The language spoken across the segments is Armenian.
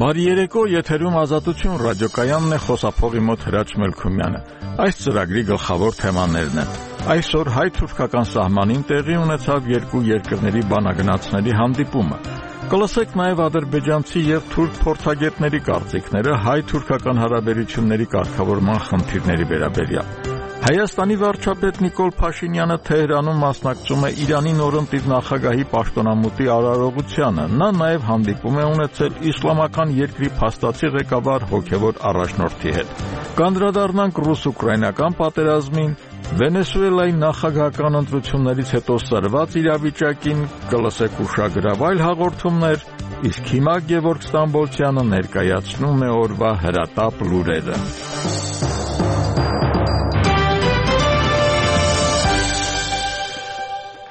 Բարի երեկո, եթերում Ազատություն ռադիոկայանն է, խոսափողի մոտ Հրաչ Մելքումյանը։ Այս ծրագրի գլխավոր թեմաներն են. այսօր հայ-թուրքական սահմանին տեղի ունեցավ երկու երկրների բանագնացների հանդիպումը։ Կլսեք նաև ադրբեջանցի և թուրք փորձագետների կարծիքները հայ-թուրքական հարաբերությունների կարգավորման խնդիրների վերաբերյալ։ Հայաստանի վարչապետ Նիկոլ Փաշինյանը Թեհրանում մասնակցում է Իրանի նորընտիր նախագահի պաշտոնամուտի արարողությանը։ Նա նաև հանդիպում է ունեցել իսլամական երկրի փաստացի ղեկավար հոգևոր առաջնորդի հետ։ Կանդրադառնանք ռուս-ուկրաինական պատերազմին, Վենեսուելայի նախագահական ընտրություններից հետո սրված իրավիճակին, կլսեք ուշագրավ այլ հաղորդումներ, իսկ հիմա Գևորգ Ստամբոլցյանը ներկայացնում է օրվա հրատապ լուրերը։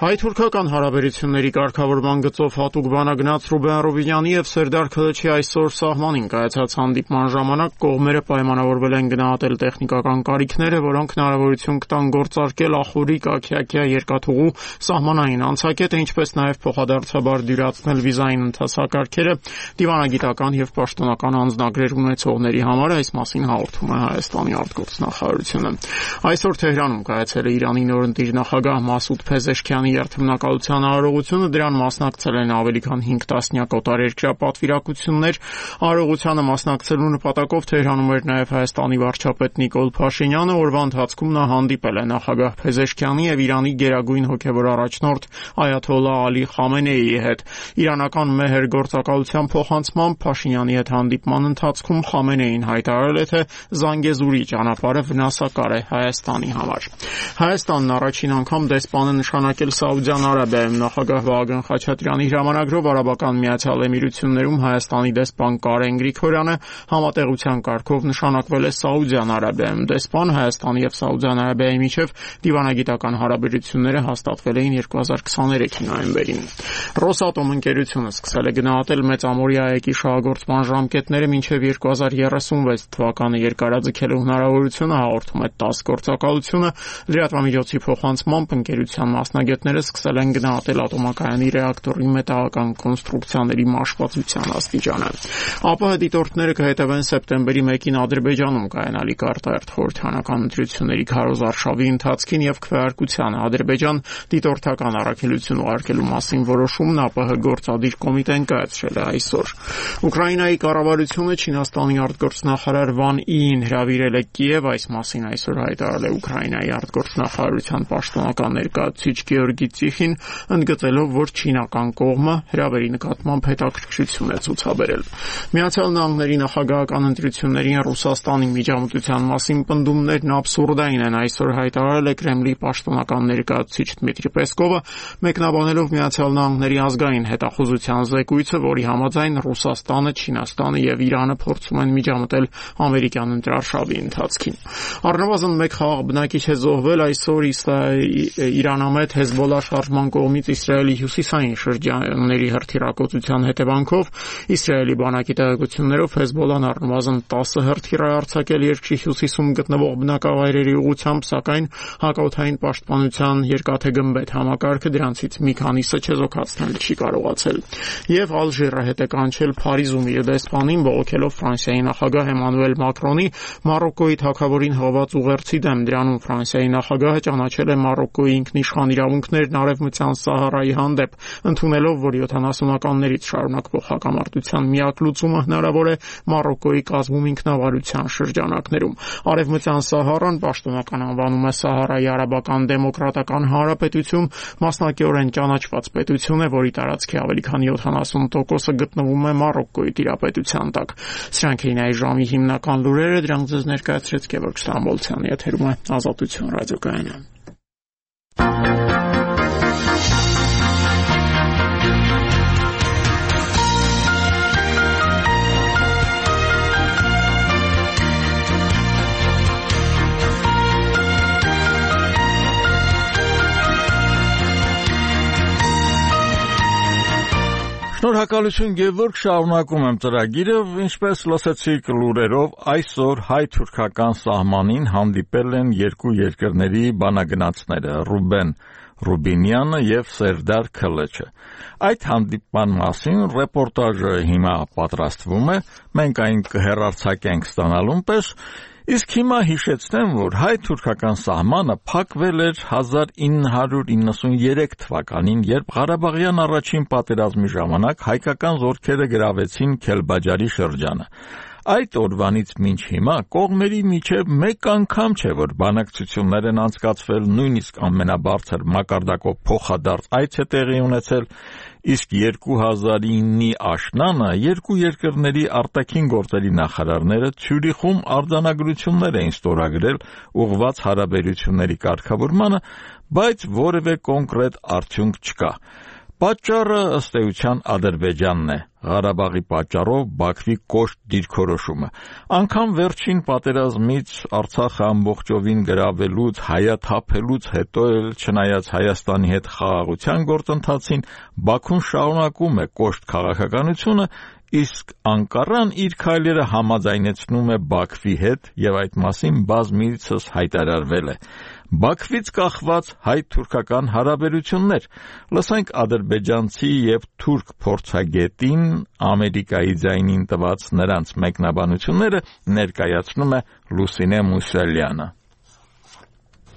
Հայ-թուրքական հարաբերությունների կարգավորման գծով հատուկ բանագնաց Ռուբեն Ռուբինյանի և Սերդար Քլչի այսօր սահմանին կայացած հանդիպման ժամանակ կողմերը պայմանավորվել են գնահատել տեխնիկական կարիքները, որոնք հնարավորություն կտան գործարկել Ախուրիկ, Աքիաքիա երկաթուղու սահմանային անցակետը, ինչպես նաև փոխադարձաբար դյուրացնել վիզային ընթացակարգերը դիվանագիտական և պաշտոնական անձնագրեր ունեցողների համար, այս մասին հաղորդում է Հայաստանի արտգործնախարարությունը։ Այսօր Թեհրանում կայացել է Իրանի նորընտիր նախագահ Մասուդ Փեզեշքյանի երթմնակալության արարողությունը, դրան մասնակցել են ավելի քան 5 տասնյակ օտարերկրյա պատվիրակություններ։ Արարողությանը մասնակցելու նպատակով Թեհրանում էր նաև Հայաստանի վարչապետ Նիկոլ Փաշինյանը, օրվա ընթացքում նա հանդիպել է նախագահ Փեզեշքյանի և Իրանի գերագույն հոգևոր առաջնորդ Այաթոլլահ Ալի Խամենեիի հետ։ Իրանական մեհր գործակալության փոխանցմամբ Փաշինյանի հետ հանդիպման ընթացքում Խամենեին հայտարարել է, թե Զանգեզուրի ճանապարհը վնասակար է Հայաստանի համար։ Հայաստանն առաջին անգամ դեսպան է նշանակել Սաուդյան Արաբիայում։ Նախագահ Վահագն Խաչատրյանի հրամանագրով Արաբական Միացյալ Էմիրություններում Հայաստանի դեսպան Կարեն Գրիգորյանը համատեղության կարգով նշանակվել է Սաուդյան Արաբիայում։ Դեսպան Հայաստանի և Սաուդյան Արաբիայի միջև դիվանագիտական հարաբերությունները հաստատվել էին 2023 նոյեմբերին։ Ռոսատոմ ընկերությունը սկսել է գնահատել Մեծամորի ԱԵԿ-ի շահագործման ժամկետները մինչև 2036 թվականը երկարաձգելու հնարավորությունը, հաղորդում է ՏԱՍՍ գործակալությունը։ Լրատվամիջոցի փոխանցմամբ ընկերության մասնագետները սկսել են գնահատել ատոմակայանի ռեակտորի մետաղական կոնստրուկցիաների մաշվածության աստիճանը։ ԱՊՀ դիտորդները կհետևեն սեպտեմբերի 1-ին Ադրբեջանում կայանալիք արտահերթ խորհրդարանական ընտրությունների քարոզարշավի ընթացքին և քվեարկությանը։ Ադրբեջան դիտորդական առաքելություն ուղարկելու մասին որոշումն ԱՊՀ գործադիր կոմիտեն կայացրել է այսօր։ Ուկրաինայի կառավարությունը Չինաստանի արտգործնախարար Վան Իին հրավիրել է Կիև, այս մասին այսօր հայտարարել է Ուկրաինայի արտգործնախարարության պաշտոնական ներկայացուցիչ Գեորգի Ծիխին, ընդգծելով, որ չինական կողմը հրավերի նկատմամբ հետաքրքրություն է ցուցաբերել։ Միացյալ Նահանգների նախագահական ընտրություններին Ռուսաստանի միջամտության մասին պնդումներն աբսուրդային են, այսօր հայտարարել է Կրեմլի պաշտոնական ներկայացուցիչ Դմիտրի Պեսկովը, մեկնաբանելով Միացյալ Նահանգների ազգային հետախուզության զեկույցը, որի համաձայն Ռուսաստանը, Չինաստանը և Իրանը փորձում են միջամտել ամերիկյան ընտրարշավի ընթացքին։ Առնվազն 1 խաղաղ բնակիչ է զոհվել այսօր Իրանամետ Հեզբոլլա շարժման կողմից Իսրայելի հյուսիսային շրջանների հրթիռակոծության հետևանքով։ Իսրայելի բանակի տեղեկություններով Հեզբոլլան առնվազն 10 հրթիռ է արձակել երկրի հյուսիսում գտնվող բնակավայրերի ուղղությամբ, սակայն հակաօդային պաշտպանության երկաթե գմբեթ համակարգը դրանցից մի քանիսը չեզոքացնել չի կարողացել։ Եվ Ալժիրը հետ է կանչել Փարիզում իր դեսպանին, բողոքելով Ֆրանսիայի նախագահ Էմանուել Մակրոնի Մարոկկոյի թագավորին հղված ուղերձի դեմ։ Դրանում Ֆրանսիայի նախագահը ճանաչել է Մարոկկոյի ինքնիշխան իրավունքներն Արևմտյան Սահարայի հանդեպ, ընդունելով, որ 70-ականներից շարունակվող հակամարտության միակ լուծումը հնարավոր է Մարոկկոյի կազմում ինքնավարության շրջանակներում։ Արևմտյան Սահարան պաշտոնական անվանում է Սահարայի Արաբական Դեմոկրատական Հանրապետություն, մասնակիորեն ճանաչված պետություն է, որի տարածքի ավելի քան 70%-ը գտնվում է Մարոկկոյի տիրապետության տակ։ Սրանք էին այս ժամի հիմնական լուրերը, դրանք ձեզ ներկայացրեց Գևորգ Ստամբոլցյանը, եթերում է Ազատություն ռադիոկայանը։ Շնորհակալություն Գևորգ, շարունակում եմ ծրագիրը, ինչպես լսեցիք լուրերով, այսօր հայ-թուրքական սահմանին հանդիպել են երկու երկրների բանագնացները Ռուբեն Ռուբինյանը եւ Սերդար Քլեչը։ Այդ հանդիպման մասին ռեպորտաժը հիմա պատրաստվում է, մենք այն կհեռարձակենք ստանալուն պես, իսկ հիմա հիշեցնեմ, որ հայ-թուրքական սահմանը փակվել էր 1993 թվականին, երբ Ղարաբաղյան առաջին պատերազմի ժամանակ հայկական զորքերը գրավեցին Քելբաջարի շրջանը։ Այդ օրվանից մինչ հիմա կողմերի միջև մեկ անգամ չէ, որ բանակցություններ են անցկացվել, նույնիսկ ամենաբարձր մակարդակով փոխադարձ այց է տեղի ունեցել, իսկ 2009-ի աշնանը երկու երկրների արտաքին գործերի նախարարները Ցյուրիխում արձանագրություններ էին ստորագրել ուղղված հարաբերությունների կարգավորմանը, բայց որևէ կոնկրետ արդյունք չկա։ Պատճառը ըստ էության Ադրբեջանն է, Ղարաբաղի պատճառով Բաքվի կոշտ դիրքորոշումը։ Անգամ վերջին պատերազմից Արցախը ամբողջովին գրավելուց, հայաթափելուց հետո էլ չնայած Հայաստանի հետ խաղաղության գործընթացին, Բաքուն շարունակում է կոշտ քաղաքականությունը, իսկ Անկարան իր քայլերը համաձայնեցնում է Բաքվի հետ եւ այդ մասին բազմիցս հայտարարվել է։ Բաքվից կախված հայ-թուրքական հարաբերություններ։ Լսենք ադրբեջանցի եւ թուրք փորձագետին Ամերիկայի ձայնին տված նրանց մեկնաբանությունները ներկայացնում է Լուսինե Մուսալյանը։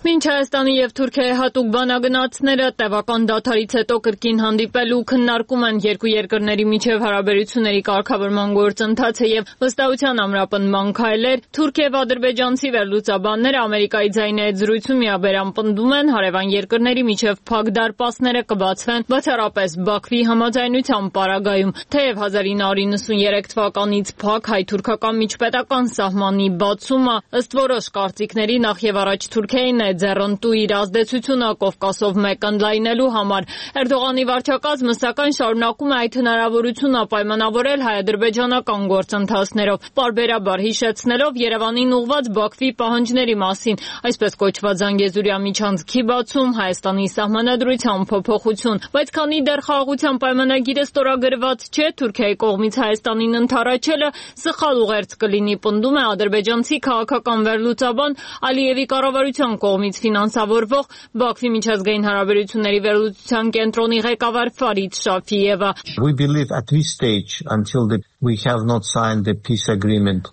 Մինչ Հայաստանի եւ Թուրքիայի հատուկ բանագնացները տևական դադարից հետո կրկին հանդիպել ու քննարկում են երկու երկրների միջև հարաբերությունների կարգավորման գործընթացը եւ վստահության ամրապնդման քայլեր, թուրք եւ ադրբեջանցի վերլուծաբանները Ամերիկայի ձայնի հետ զրույցում միաբերան պնդում են, հարևան երկրների միջև փակ դարպասները կբացվեն բացառապես Բաքվի համաձայնությամբ պարագայում, թեև 1993 թվականից փակ հայ-թուրքական միջպետական սահմանի բացումը ըստ որոշ կարծիքների նախ եւ առաջ Թուրքիային է ձեռնտու իր ազդեցությունը Կովկասով մեկ ընդլայնելու համար։ Էրդողանի վարչակազմը սակայն շարունակում է այդ հնարավորությունը պայմանավորել հայ-ադրբեջանական գործընթացներով, պարբերաբար հիշեցնելով Երևանին ուղղված Բաքվի պահանջների մասին, այսպես կոչված Զանգեզուրյա միջանցքի բացում, Հայաստանի սահմանադրության փոփոխություն, բայց քանի դեռ խաղաղության պայմանագիրը ստորագրված չէ, Թուրքիայի կողմից Հայաստանին ընդառաջելը սխալ ուղերձ կլինի, պնդում է ադրբեջանցի քաղաքական վերլուծաբան Ալիևի կառավարության կողմից ֆինանսավորվող Բաքվի միջազգային հարաբերությունների վերլուծության կենտրոնի ղեկավար Ֆարիդ Շաֆիևը։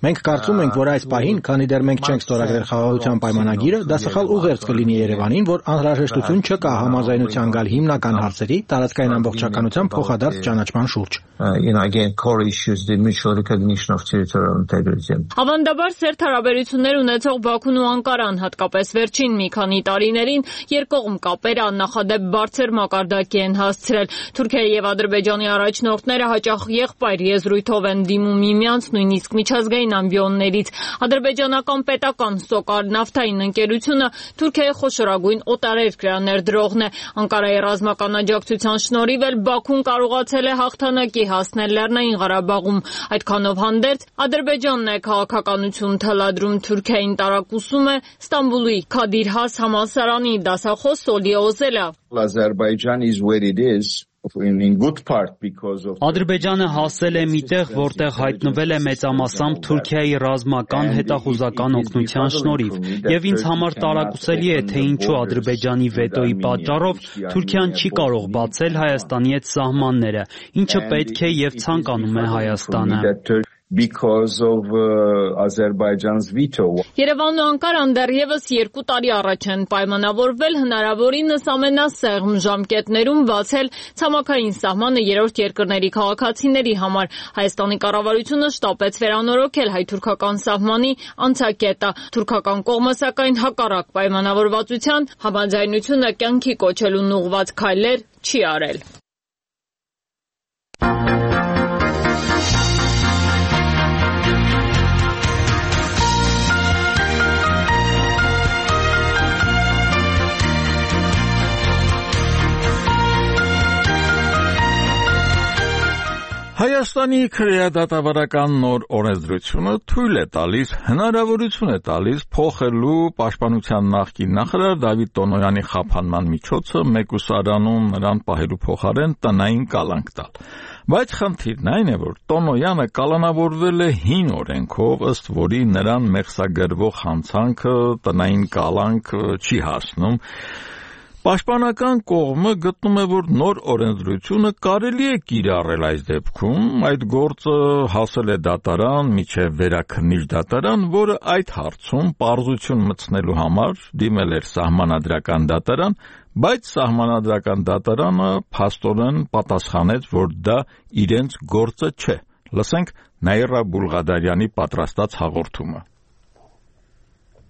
Մենք կարծում ենք, որ այս պահին, քանի դեռ մենք չենք ստորագրել խաղաղության պայմանագիրը, դա սխալ ուղերձ կլինի Երևանին, որ անհրաժեշտություն չկա համաձայնության գալ հիմնական հարցերի, տարածքային ամբողջականության փոխադարձ ճանաչման շուրջ։ Ավանդաբար սերտ հարաբերություններ ունեցող Բաքուն ու Անկարան, հատկապես վերջին մի քանի տարիներին երկկողմ կապերը աննախադեպ բարձր մակարդակի են հասցրել։ Թուրքիայի եւ Ադրբեջանի առաջնորդները հաճախ եղբայր եզրույթով են դիմում միմյանց, նույնիսկ միջազգային ամբիոններից։ Ադրբեջանական պետական Սոկար նավթային ընկերությունը Թուրքիայի խոշորագույն օտարերկրյա ներդրողն է։ Անկարայի ռազմական աջակցության շնորհիվ էլ Բաքուն կարողացել է հաղթանակի հասնել Լեռնային Ղարաբաղում։ Այդքանով հանդերձ Ադրբեջանն է քաղաքականություն թելադրում Թուրքիային, տարակուսում է Ստամբուլի Քադիր Has համալսարանի դասախոս Սոլի Օզելը։ Ադրբեջանը հասել է միտեղ, որտեղ հայտնվել է մեծամասամբ Թուրքիայի ռազմական հետախուզական օգնության շնորհիվ, եւ ինձ համար տարակուսելի է, թե ինչու Ադրբեջանի վետոյի պատճառով Թուրքիան չի կարող բացել Հայաստանի հետ սահմանները, ինչը պետք է եւ ցանկանում է Հայաստանը։ Because of Azerbaijan's veto. Երևանն ու Անկարան դեռևս 2 տարի առաջ են պայմանավորվել հնարավորինս ամենասեղմ ժամկետներում բացել ցամաքային սահմանը երրորդ երկրների քաղաքացիների համար։ Հայաստանի կառավարությունը շտապեց վերանորոգել հայ-թուրքական սահմանի անցակետը։ Թուրքական կողմը սակայն հակառակ պայմանավորվածության համաձայնությունը կյանքի կոչելուն ուղղված քայլեր չի արել։ Հայաստանի քրեադատավարական նոր օրենսդրությունը թույլ է տալիս, հնարավորություն է տալիս փոխելու պաշտպանության նախկին նախարար Դավիթ Տոնոյանի խափանման միջոցը մեկուսարանում նրան պահելու փոխարեն տնային կալանք տալ։ Բայց խնդիրն այն է, որ Տոնոյանը կալանավորվել է հին օրենքով, ըստ որի նրան մեղսագրվող հանցանքը տնային կալանք չի հասնում։ Պաշտպանական կողմը գտնում է, որ նոր օրենսդրությունը կարելի է կիրառել այս դեպքում, այդ գործը հասել է դատարան, մինչև վերաքննիչ դատարան, որը այդ հարցում պարզություն մտցնելու համար դիմել էր սահմանադրական դատարան, բայց սահմանադրական դատարանը փաստորեն պատասխանեց, որ դա իրենց գործը չէ։ Լսենք Նաիրա Բուլղադարյանի պատրաստած հաղորդումը։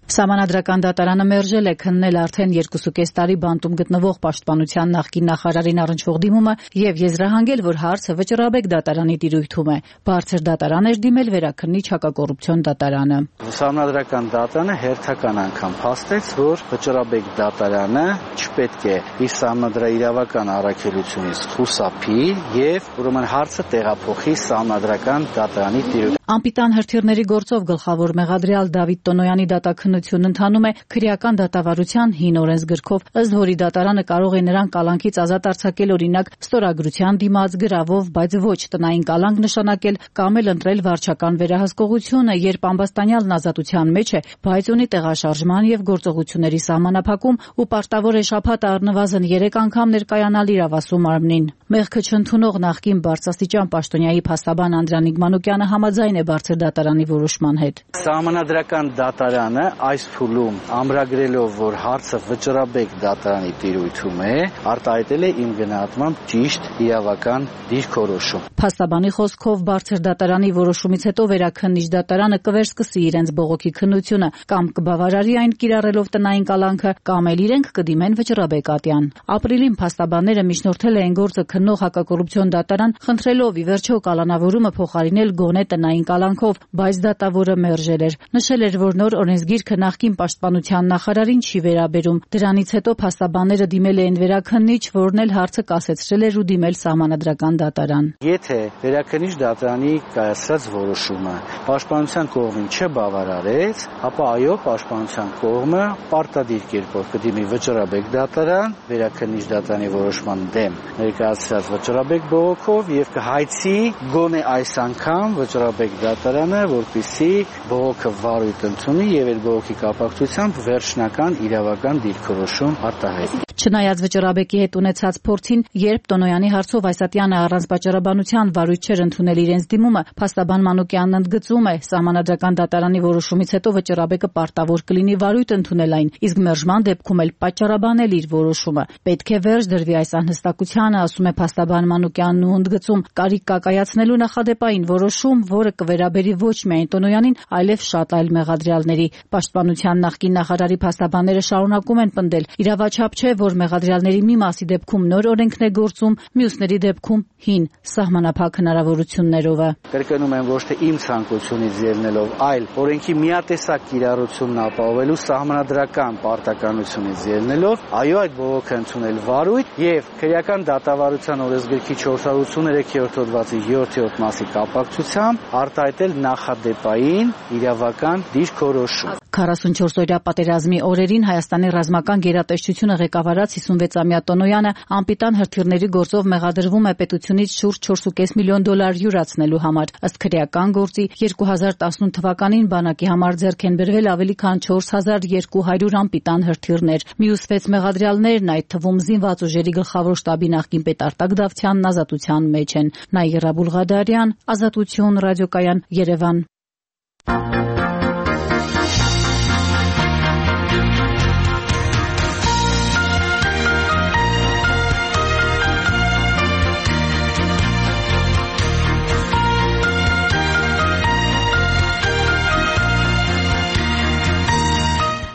Սահմանադրական դատարանը մերժել է քննել արդեն 2.5 տարի բանտում գտնվող պաշտպանության նախկին նախարարին առնչվող դիմումը եւ եզրահանգել, որ հարցը վճռաբեկ դատարանի տիրույթում է։ Բարձր դատարան էր դիմել վերաքննիչ հակակոռուպցիոն դատարանը։ Սահմանադրական դատարանը հերթական անգամ փաստեց, որ վճռաբեկ դատարանը չպետք է իր սահմանադրաիրավական առաքելությունից խուսափի եւ ուրեմն հարցը տեղափոխի սահմանադրական դատարանի տիրույթ։ Անպիտան հրթիռների գործով գլխավոր մեղադրյալ Դավիթ Տոնոյանի դատաքննությունն ընթանում է քրեական դատավարության հին օրենսգրքով, ըստ որի դատարանը կարող է նրան կալանքից ազատ արձակել օրինակ ստորագրության դիմաց գրավով, բայց ոչ տնային կալանք նշանակել կամ էլ ընտրել վարչական վերահսկողությունը, երբ ամբաստանյալն ազատության մեջ է, բայց ունի տեղաշարժման եւ գործողությունների սահմանափակում ու պարտավոր է շաբաթ առնվազն 3 անգամ ներկայանալ իրավասու մարմնին։ Մեղքը չընդունող նախկին բարձրաստիճան պաշտոնյայի փաստաբան Անդրանիկ Մանուկյանը համաձայն է բարձր դատարանի որոշման հետ։ Սահմանադրական դատարանը այս փուլում ամրագրելով, որ հարցը վճռաբեկ դատարանի տիրույթում է, արտահայտել է իմ գնահատմամբ ճիշտ իրավական դիրքորոշում։ Փաստաբանի խոսքով բարձր դատարանի որոշումից հետո վերաքննիչ դատարանը կվերսկսի իրենց բողոքի քննությունը կամ կբավարարի այն կիրառելով տնային կալանքը, կամ էլ իրենք կդիմեն վճռաբեկ ատյան։ Ապրիլին փաստաբանները միջնորդել էին գործը քննող հակակոռուպցիոն դատարան, խնդրելով ի վերջո կալանավորումը փոխարինել գոնե տնային կալանքով, բայց դատավորը մերժել էր։ Նշել էր, որ նոր օրենսգիրքը նախկին պաշտպանության նախարարին չի վերաբերում։ Դրանից հետո փաստաբանները դիմել էին վերաքննիչ, որն էլ հարցը կասեցրել էր ու դիմել սահմանադրական դատարան։ Եթե վերաքննիչ դատարանի կայացրած որոշումը պաշտպանության կողմին չբավարարեց, ապա այո, պաշտպանության կողմը պարտադիր կերպով կդիմի վճռաբեկ դատարան, վերաքննիչ դատարանի որոշման դեմ ներկայացրած վճռաբեկ բողոքով եւ կհայցի գոնե այս անգամ վճռաբեկ դատարանը, որպեսզի բողոքը վարույթ ընդունի եւ այդ բողոքի կապակցությամբ վերջնական իրավական դիրքորոշում արտահայտի։ Չնայած վճռաբեկի հետ ունեցած փորձին, երբ Տոնոյանի հարցով Այսատյանը առանց պատճառաբանության վարույթ չէր ընդունել իրենց դիմումը, փաստաբան Մանուկյանն ընդգծում է, սահմանադրական դատարանի որոշումից հետո վճռաբեկը պարտավոր կլինի վարույթ ընդունել այն, իսկ մերժման դեպքում էլ պատճառաբանել իր որոշումը։ Պետք է վերջ դրվի այս անհստակությանը, ասում է փաստաբան Մանուկյանն ու ընդգծում, կարիք կա կայացնելու նախադեպային որոշում, որը կվերաբերի ոչ միայն Տոնոյանին, այլև շատ այլ մեղադրյալների։ Պաշտպանության նախկին նախարարի փաստաբանները շարունակում են պնդել, իրավաչափ չէ, որ մեղադրյալների մի մասի դեպքում նոր օրենքն է գործում, մյուսների դեպքում հին սահմանափակ հնարավորություններով։ Կրկնում եմ, ոչ թե իմ ցանկությունից ելնելով, այլ օրենքի միատեսակ կիրառությունն ապահովելու սահմանադրական պարտականությունից ելնելով, այո, այդ բողոքը ընդունել վարույթ եւ քրեական դատավարության օրենսգրքի 483-րդ հոդվածի 7-րդ մասի կապակցությամբ արտահայտել նախադեպային իրավական դիրքորոշում։ 44-օրյա պատերազմի օրերին Հայաստանի ռազմական գերատեսչությունը ղեկավարած 56-ամյա Տոնոյանը անպիտան հրթիռների գործով մեղադրվում է պետությունից շուրջ 4.5 միլիոն դոլար յուրացնելու համար։ Ըստ քրեական գործի 2018 թվականին բանակի համար ձեռք են բերվել ավելի քան 4200 անպիտան հրթիռներ։ Մյուս 6 մեղադրյալներն, այդ թվում զինված ուժերի գլխավոր շտաբի նախկին պետ Արտակ Դավթյանն ազատության մեջ են։ Նաիրա Բուլղադարյան, Ազատություն ռադիոկայան, Երևան։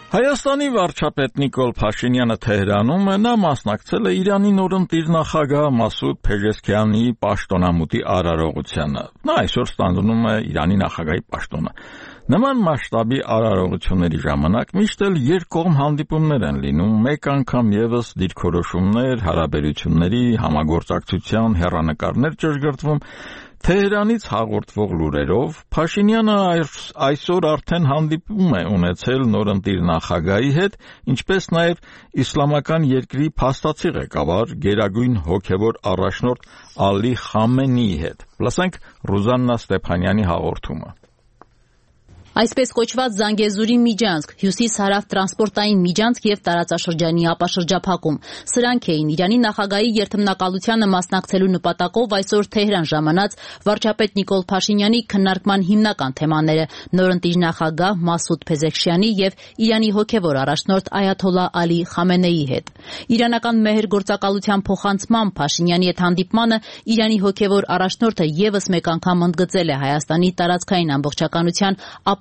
Հայաստանի վարչապետ Նիկոլ Փաշինյանը Թեհրանում նա մասնակցել է Իրանի նորընտիր նախագահ Մասուդ Փեզեշքիանի պաշտոնամուտի արարողությանը։ Նա այսօր ստանձնում է Իրանի նախագահի պաշտոնը։ Նման մասշտաբի արարողությունների ժամանակ միշտ էլ երկկողմ հանդիպումներ են լինում, մեկ անգամ եւս դիրքորոշումներ, հարաբերությունների, համագործակցության հեռանկարներ ճշգրտվում։ Թեհրանից հաղորդվող լուրերով Փաշինյանը այսօր արդեն հանդիպում է ունեցել նորընտիր նախագահի հետ, ինչպես նաև իսլամական երկրի փաստացի ղեկավար գերագույն հոգևոր առաջնորդ Ալի Խամենեիի հետ։ Լսենք Ռուզաննա Ստեփանյանի հաղորդումը։ Այսպես կոչված Զանգեզուրի միջանցք, հյուսիս-հարավ տրանսպորտային միջանցք եւ տարածաշրջանի ապաշրջափակում։ Սրանք էին Իրանի նախագահի երթմնակալությանը մասնակցելու նպատակով այսօր Թեհրան ժամանած վարչապետ Նիկոլ Փաշինյանի քննարկման հիմնական թեմաները՝ նորընտիր նախագահ Մասուդ Փեզեշքիանի եւ Իրանի հոգեվոր առաջնորդ Այաթոլլա Ալի Խամենեիի հետ։ Իրանական մեհր գործակալության փոխանցմամբ Փաշինյանի հետ հանդիպմանը Իրանի հոգեվոր առաջնորդը եւս մեկ անգամ ընդգծել է Հայաստանի տարածքային ամբողջականության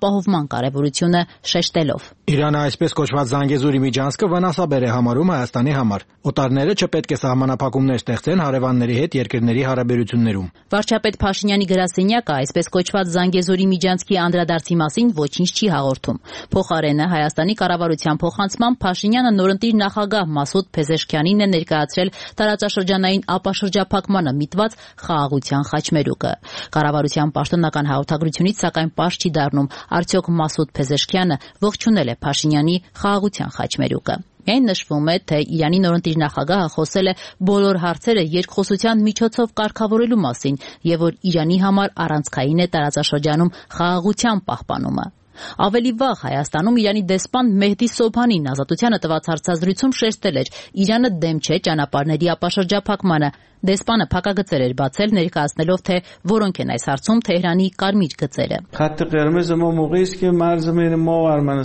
ապահովման կարևորությունը, շեշտելով. Իրանը այսպես կոչված Զանգեզուրի միջանցքը վնասաբեր է համարում Հայաստանի համար։ Օտարները չպետք է սահմանափակումներ ստեղծեն հարևանների հետ երկրների հարաբերություններում։ Վարչապետ Փաշինյանի գրասենյակը այսպես կոչված Զանգեզուրի միջանցքի անդրադարձի մասին ոչինչ չի հաղորդում։ Փոխարենը Հայաստանի կառավարության փոխանցմամբ Փաշինյանը նորընտիր նախագահ Մասուդ Փեզեշքիանին է ներկայացրել տարածաշրջանային ապաշրջափակմանը միտված խաղաղության խաչմերուկը։ Կառավարության պաշտոնական հաղորդագրությունից սակայն պարզ չի դառնում, արդյոք Մասուդ Փեզեշքիանը ողջունել է Փաշինյանի խաղաղության խաչմերուկը։ Միայն նշվում է, թե Իրանի նորընտիր նախագահը խոսել է բոլոր հարցերը երկխոսության միջոցով կարգավորելու մասին եւ որ Իրանի համար առանցքային է տարածաշրջանում խաղաղության պահպանումը։ Ավելի վաղ Հայաստանում Իրանի դեսպան Մեհդի Սոբհանին ազատությանը տված հարցազրույցում շեշտել էր՝ Իրանը դեմ չէ ճանապարհների ապաշրջափակմանը։ Դեսպանը փակագծեր էր բացել, ներկայացնելով, թե որոնք են այս հարցում Թեհրանի կարմիր գծերը։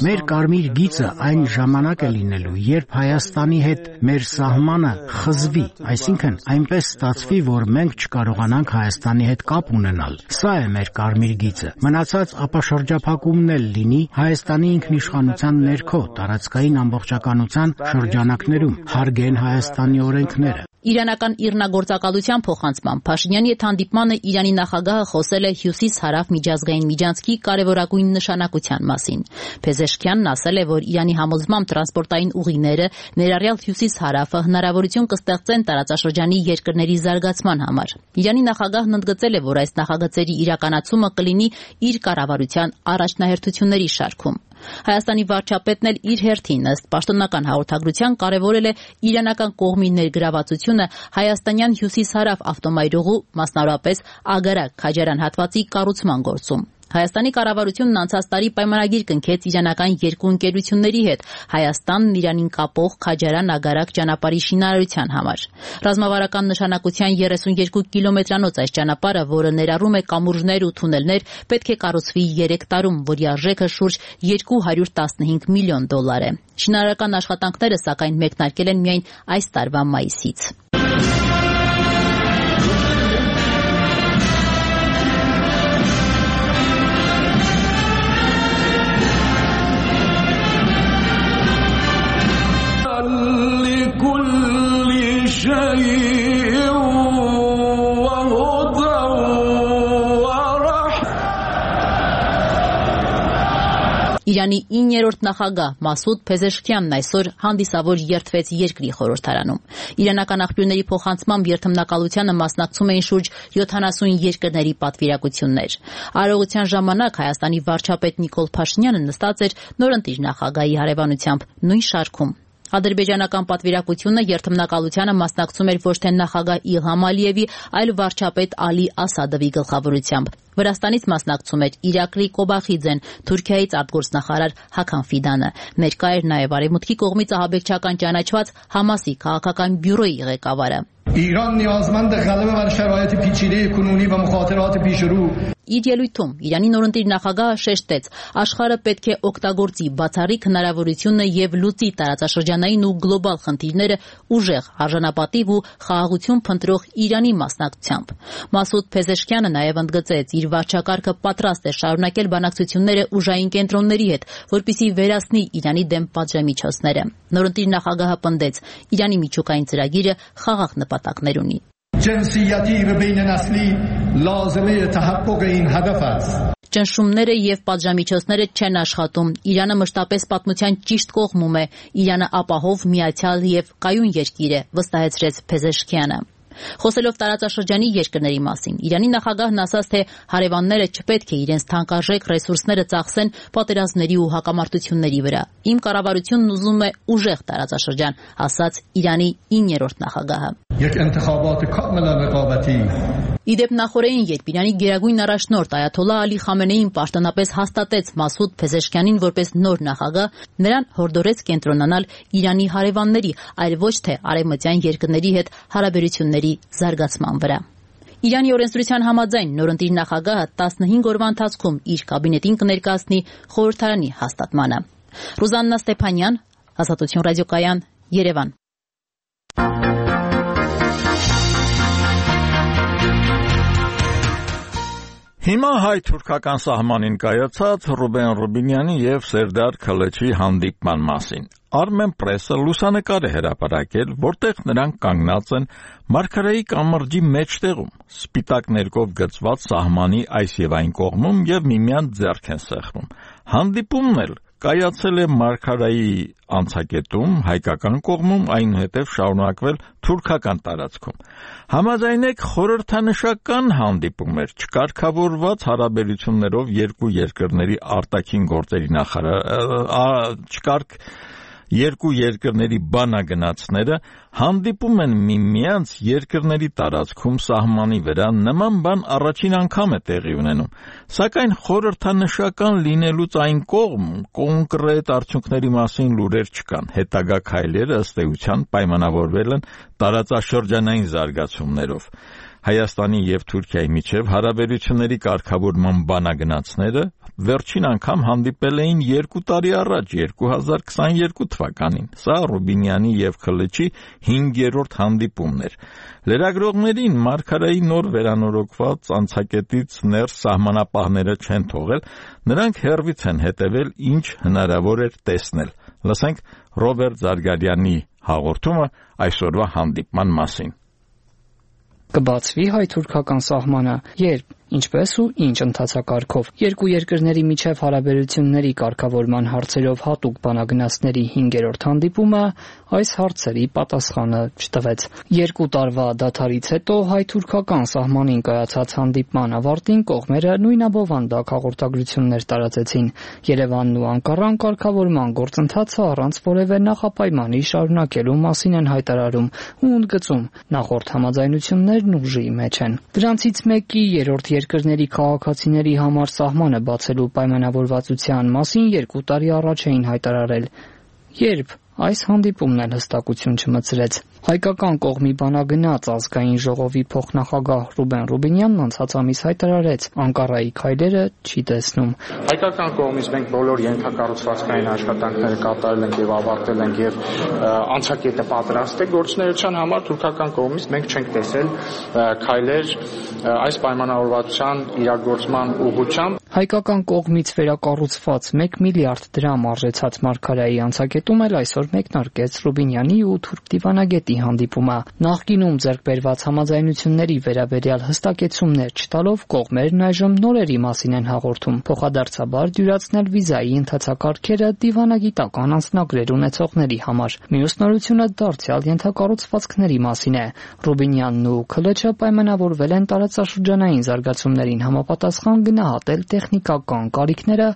Մեր կարմիր գիծը այն ժամանակ է լինելու, երբ Հայաստանի հետ մեր սահմանը խզվի, այսինքն այնպես ստացվի, որ մենք չկարողանանք Հայաստանի հետ կապ ունենալ։ Սա է մեր կարմիր գիծը։ Մնացած ապաշրջափակումն էլ լինի Հայաստանի ինքնիշխանության ներքո, տարածքային ամբողջականության շրջանակներում, հարգեն Հայաստանի օրենքները։ Իրանական իռնագործակալության փոխանցմամբ Փաշինյանի հետ հանդիպմանը Իրանի նախագահը խոսել է հյուսիս-հարավ միջազգային միջանցքի կարևորագույն նշանակության մասին։ Փեզեշքյանն ասել է, որ Իրանի համոզմամբ տրանսպորտային ուղիները, ներառյալ հյուսիս-հարավը, հնարավորություն կստեղծեն տարածաշրջանի երկրների զարգացման համար։ Իրանի նախագահն ընդգծել է, որ այս նախագծերի իրականացումը կլինի իր կառավարության առաջնահերթությունների շարքում։ Հայաստանի վարչապետն էլ իր հերթին ըստ պաշտոնական հաղորդագրության կարևորել է իրանական կողմի ներգրավվածությունը հայաստանյան հյուսիս-հարավ ավտոմայրուղու, մասնավորապես Ագարակ-Քաջարան հատվածի կառուցման գործում։ Հայաստանի կառավարությունն անցած տարի պայմանագիր կնքեց իրանական երկու ընկերությունների հետ Հայաստանն Իրանին կապող Քաջարան-Ագարակ ճանապարհի շինարարության համար։ Ռազմավարական նշանակության 32 կիլոմետրանոց այս ճանապարհը, որը ներառում է կամուրջներ ու թունելներ, պետք է կառուցվի 3 տարում, որի արժեքը շուրջ $215 միլիոն է։ Շինարարական աշխատանքները սակայն մեկնարկել են միայն այս տարվա մայիսից։ Իրանի 9-րդ նախագահ Մասուդ Փեզեշքյանն այսօր հանդիսավոր երդվեց երկրի խորհրդարանում։ Իրանական աղբյուրների փոխանցմամբ երդմնակալությանը մասնակցում էին շուրջ 70 երկրների պատվիրակություններ։ Արարողության ժամանակ Հայաստանի վարչապետ Նիկոլ Փաշինյանը նստած էր նորընտիր նախագահի հարևանությամբ նույն շարքում։ Ադրբեջանական պատվիրակությունը երթմնակալությանը մասնակցում էր ոչ թե նախագահ Իլհամ Ալիևի, այլ վարչապետ Ալի Ասադովի գլխավորությամբ։ Վրաստանից մասնակցում էր Իրակլի Կոբախիձեն, Թուրքիայից արտգործնախարար Հական Ֆիդանը։ Ներկա էր նաև Արևմուտքի կողմից ահաբեկչական ճանաչված Համասի քաղաքական բյուրոյի ղեկավարը։ ایران نیازمند غلبه بر شرایط پیچیده کنونی و مخاطرات پیشرو Իր ելույթում Իրանի նորընտիր նախագահը շեշտեց, աշխարհը պետք է օգտագործի բացառիկ հնարավորությունը եւ լուծի տարածաշրջանային ու գլոբալ խնդիրները ուժեղ, արժանապատիվ ու խաղաղություն փնտրող Իրանի մասնակցությամբ։ Մասուդ Փեզեշքյանը նաև ընդգծեց, իր վարչակարգը պատրաստ է շարունակել բանակցությունները ուժային կենտրոնների հետ, որպեսզի վերացնի Իրանի դեմ պատժամիջոցները։ Նորընտիր նախագահը պնդեց, Իրանի միջուկային ծրագիրը խաղաղ նպատակներ ունի։ جنسیتی و بین نسلی لازمه تحقق این هدف است. Ճնշումները եւ պատժամիջոցները չեն աշխատում։ Իրանը մշտապես պատմության ճիշտ կողմում է։ Իրանը ապահով, միացյալ եւ կայուն երկիր է, վստահեցրեց Փեզեշքյանը։ Խոսելով տարածաշրջանի երկրների մասին, Իրանի նախագահն ասաց, թե հարևանները չպետք է իրենց թանկարժեք ռեսուրսները ծախսեն պատերազմների ու հակամարտությունների վրա։ Իմ կառավարությունն ուզում է ուժեղ տարածաշրջան, ասաց Իրանի 9-րդ նախագահը։ یک انتخابات کاملا رقابتی Իդեպ նախորդին երբ Իրանի գերագույն առաջնորդ Այաթոլլահ Ալի Խամենեին պաշտոնապես հաստատեց Մասուդ Փեզեշքյանին որպես նոր նախագահ, նրան հորդորեց կենտրոնանալ Իրանի հարևանների, այլ ոչ թե արևմտյան երկրների հետ հարաբերությունների զարգացման վրա։ Իրանի օրենսդրության համաձայն նորընտիր նախագահը 15 օրվա ընթացքում իր կաբինետին կներկայացնի խորհրդարանի հաստատմանը։ Ռուզաննա Ստեփանյան, Ազատություն ռադիոկայան, Երևան։ Հիմա հայ-թուրքական սահմանին կայացած Ռուբեն Ռուբինյանի եւ Սերդար Քալեչի հանդիպման մասին։ Armenpress-ը լուսանկար է հրապարակել, որտեղ նրանք կանգնած են Մարգարայի կամրջի մեջտեղում, սպիտակ ներկով գծված սահմանի այս եւ այն կողմում եւ միմյանց ձեռք են սեղմում։ Հանդիպումն էլ կայացել է Մարգարայի անցակետում, հայկական կողմում, այնուհետև շարունակվել թուրքական տարածքում։ Համաձայնեք խորհրդանշական հանդիպում էր չկարգավորված հարաբերություններով երկու երկրների արտաքին գործերի երկու երկրների բանագնացները հանդիպում են միմյանց երկրների տարածքում սահմանի վրա, նման բան առաջին անգամ է տեղի ունենում, սակայն խորհրդանշական լինելուց այն կողմ կոնկրետ արդյունքների մասին լուրեր չկան, հետագա քայլերը ըստ էության պայմանավորվել են տարածաշրջանային զարգացումներով։ Հայաստանի եւ Թուրքիայի միջև հարաբերությունների կարգավորման բանագնացները վերջին անգամ հանդիպել էին 2 տարի առաջ 2022 թվականին։ Սա Ռուբինյանի եւ Քլեչի 5-րդ հանդիպումն էր։ Լրագրողներին Մարգարայի նոր վերանորոգված անցակետից ներս սահմանապահները չեն թողել, նրանք հեռվից են հետևել, ինչ հնարավոր էր տեսնել։ Լսենք Ռոբերտ Զարգարյանի հաղորդումը այսօրվա հանդիպման մասին։ Կբացվի հայ-թուրքական սահմանը, երբ, ինչպես ու ինչ ընթացակարգով։ Երկու երկրների միջև հարաբերությունների կարգավորման հարցերով հատուկ բանագնացների 5-րդ հանդիպումը այս հարցերի պատասխանը չտվեց։ 2 տարվա դադարից հետո հայ-թուրքական սահմանին կայացած հանդիպման ավարտին կողմերը նույնաբովանդակ հաղորդագրություններ տարածեցին։ Երևանն ու Անկարան կարգավորման գործընթացը առանց որևէ նախապայմանի շարունակելու մասին են հայտարարում ու ընդգծում նախորդ համաձայնություններն ուժի մեջ են։ Դրանցից մեկի 3-րդ երկրների քաղաքացիների համար սահմանը բացելու պայմանավորվածության մասին 2 տարի առաջ էին հայտարարել, երբ այս հանդիպումն էլ հստակություն չմտցրեց։ Հայկական կողմի բանագնաց ազգային ժողովի փոխնախագահ Ռուբեն Ռուբինյանն անցած ամիս հայտարարեց, Անկարայի քայլերը չի տեսնում։ Հայկական կողմից մենք բոլոր ենթակառուցվածքային աշխատանքները կատարել ենք եւ ավարտել ենք եւ անցակետը պատրաստ է գործունեության համար, թուրքական կողմից մենք չենք տեսել քայլեր այս պայմանավորվածության իրագործման ուղղությամբ։ Հայկական կողմից վերակառուցված 1 միլիարդ դրամ արժեցած Մարգարայի անցակետում էլ այսօր մեկնարկեց Ռուբինյանի ու թուրք դիվանագետի հանդիպումը։ Նախկինում ձեռք բերված համաձայնությունների վերաբերյալ հստակեցումներ չտալով կողմերն այժմ նորերի մասին են հաղորդում, փոխադարձաբար դյուրացնել վիզայի ընթացակարգերը դիվանագիտական անձնագրեր ունեցողների համար։ Մյուս նորությունը դարձյալ ենթակառուցվածքների մասին է։ Ռուբինյանն ու Քլեչը պայմանավորվել են տարածաշրջանային զարգացումներին համապատասխան գնահատել տեխնիկական կարիքները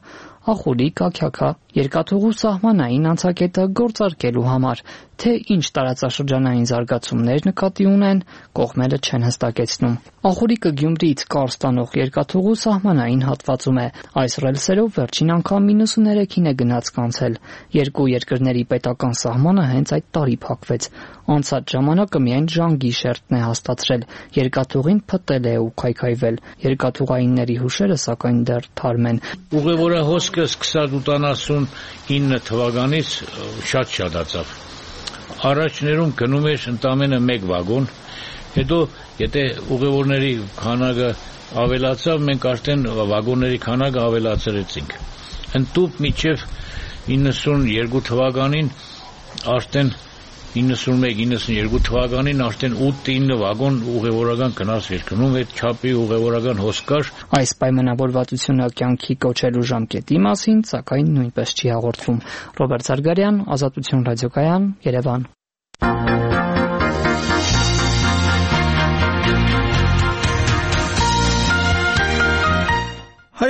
ախորի կաքյակա երկաթուղու սահմանային անցակետը գործարկելու համար, թե ինչ տարածաշրջանային զարգացումներ նկատի ունեն, կողմերը չեն հստակեցնում։ Ախորիկը Գյումրիից կար ստանող երկաթուղու սահմանային հատվածում է։ Այս ռելսերով վերջին անգամ 93-ին է գնաց կանցել։ Երկու երկրների պետական սահմանը հենց այդ տարի փակվեց։ Անցած ժամանակը միայն Ժանգիշերտն է հաստացրել։ Երկաթուղին փտել է ու քայքայվել։ Երկաթուղայինների հուշերը սակայն դեռ թարմ են։ Ուղևորահոսքը սկսած 89 թվականից շատ շատացավ։ Առաջներում գնում էր ընդամենը 1 վագոն, հետո եթե ուղևորների քանակը ավելացավ, մենք արդեն վագոնների քանակը ավելացրեցինք։ Ընդտուպ մինչև 92 թվականին արդեն 91-92 թվականին արդեն 8-9 վագոն ուղևորական գնաց էր գնում, այդ չափի ուղևորական հոսք կար։ Այս պայմանավորվածությունը կյանքի կոչելու ժամկետի մասին, սակայն նույնպես չի հաղորդվում։ Ռոբերտ Զարգարյան, Ազատություն ռադիոկայան, Երևան։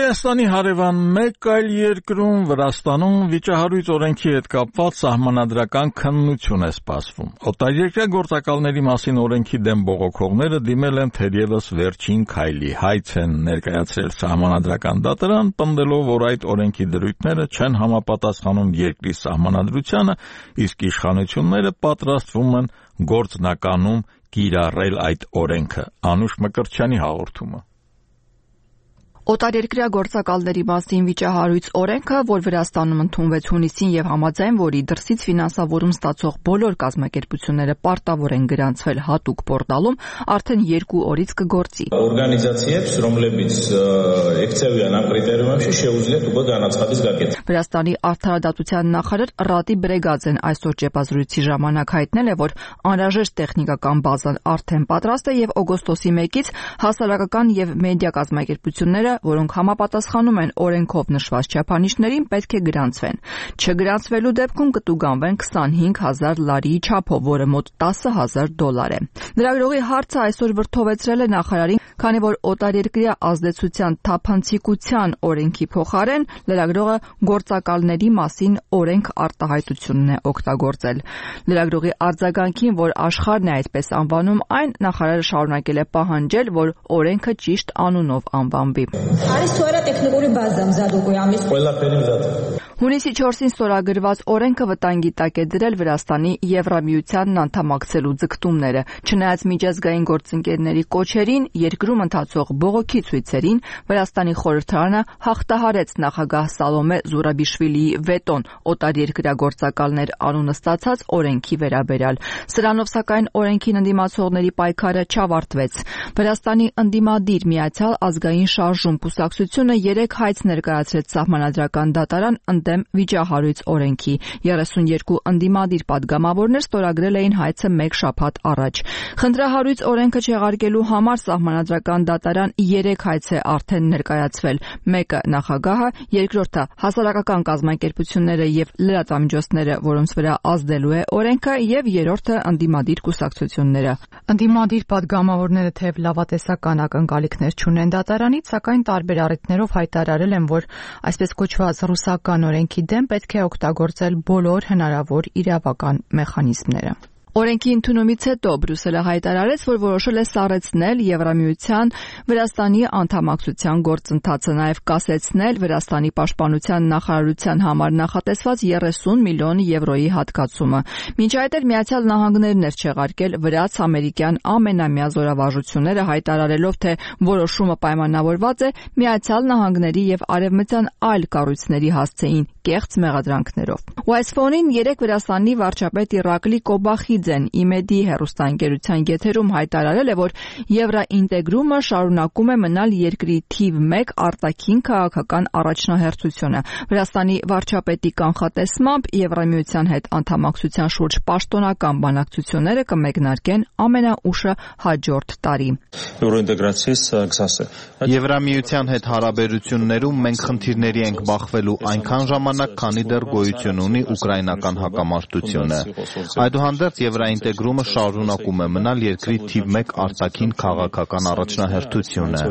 Հայաստանի հարևան մեկ այլ երկրում Վրաստանում վիճահարույց օրենքի հետ կապված սահմանադրական քննություն է սպասվում։ Օտարերկրյա գործակալների մասին օրենքի դեմ բողոքողները դիմել են թերևս վերջին քայլի, հայց են ներկայացրել սահմանադրական դատարան, պնդելով, որ այդ օրենքի դրույթները չեն համապատասխանում երկրի սահմանադրությանը, իսկ իշխանությունները պատրաստվում են գործնականում կիրառել այդ օրենքը։ Անուշ Մկրտչյանի հաղորդումը։ Օտարերկրյա գործակալների մասին վիճահարույց օրենքը, որ Վրաստանում ընդունվեց հունիսին եւ համաձայն որի դրսից ֆինանսավորում ստացող բոլոր կազմակերպությունները պարտավոր են գրանցվել հատուկ պորտալում, արդեն 2 օրից կգործի։ Վրաստանի արդարադատության նախարար Ռադի Բրեգաձեն այսօր ճեպազրույցի ժամանակ հայտնել է, որ անհրաժեշտ տեխնիկական բազան արդեն պատրաստ է եւ օգոստոսի 1-ից հասարակական եւ մեդիա կազմակերպությունները, որոնք համապատասխանում են օրենքով նշված չափանիշներին, պետք է գրանցվեն։ Չգրանցվելու դեպքում կտուգանվեն 25,000 լարիի չափով, որը մոտ $10,000 է։ Լրագրողի հարցը այսօր վրդովեցրել է նախարարին, քանի որ օտարերկրյա ազդեցության թափանցիկության օրենքի փոխարեն լրագրողը գործակալների մասին օրենք արտահայտությունն է օգտագործել։ Լրագրողի արձագանքին, որ աշխարհն է այդպես անվանում այն, նախարարը շարունակել է պահանջել, որ օրենքը ճիշտ անունով անվանվի։ Հունիսի 4-ին ստորագրված օրենքը վտանգի տակ է դրել Վրաստանի Եվրամիությանն անդամակցելու ձգտումները, չնայած միջազգային գործընկերների կոչերին, երկրում ընթացող բողոքի ցույցերին, Վրաստանի խորհրդարանը հաղթահարեց նախագահ Սալոմե Զուրաբիշվիլիի վետոն օտարերկրյա գործակալներ անունը ստացած օրենքի վերաբերյալ։ Սրանով սակայն օրենքին ընդդիմացողների պայքարը չավարտվեց։ Վրաստանի ընդդիմադիր Միացյալ ազգային շարժում կուսակցությունը 3 հայց ներկայացրեց սահմանադրական դատարան ընդդեմ վիճահարույց օրենքի։ 32 ընդդիմադիր պատգամավորներ ստորագրել էին հայցը 1 շաբաթ առաջ։ Խնդրահարույց օրենքը չեղարկելու համար սահմանադրական դատարան 3 հայց է արդեն ներկայացվել։ Մեկը նախագահը, երկրորդը հասարակական կազմակերպությունները եւ լրատվամիջոցները, որոնց վրա ազդելու է օրենքը, եւ երրորդը ընդդիմադիր կուսակցությունները։ Ընդդիմադիր պատգամավորները թեև լավատեսական ակնկալիքներ չունեն դատարանից, սակայն տարբեր առիթներով հայտարարել են, որ այսպես կոչված ռուսական օրենքի դեմ պետք է օգտագործել բոլոր հնարավոր իրավական մեխանիզմները։ Օրենքի ընդունումից հետո Բրյուսելը հայտարարեց, որ որոշել է սառեցնել Եվրամիության Վրաստանի անդամակցության գործընթացը, նաև կասեցնել Վրաստանի պաշտպանության նախարարության համար նախատեսված 30 միլիոն եվրոյի հատկացումը։ Մինչ այդ էլ Միացյալ Նահանգներն էր չեղարկել վրաց-ամերիկյան ամենամյա զորավարժությունները, հայտարարելով, թե որոշումը պայմանավորված է Միացյալ Նահանգների եւ արևմտյան այլ կառույցների հասցեին կեղծ մեղադրանքներով։ Ուայսֆոնին 3 Վրաստանի վարչապետ Իրակլի Կոբախիձեն ԻՄԵԴ-ի հեռուստաընկերության եթերում հայտարարել է, որ եվրաինտեգրումը շարունակում է մնալ երկրի թիվ 1 արտաքին քաղաքական առաջնահերթությունը։ Վրաստանի վարչապետի կանխատեսմամբ Եվրամիության հետ անդամակցության շուրջ պաշտոնական բանակցությունները կմեկնարկեն ամենաուշը հաջորդ տարի։ Եվրամիության հետ հարաբերություններում մենք խնդիրների ենք բախվելու այնքան ժամանակ, քանի դեռ գոյություն ունի ուկրաինական հակամարտությունը։ Այդուհանդերձ եվրաինտեգրումը շարունակում է մնալ երկրի թիվ 1 արտաքին քաղաքական առաջնահերթությունը։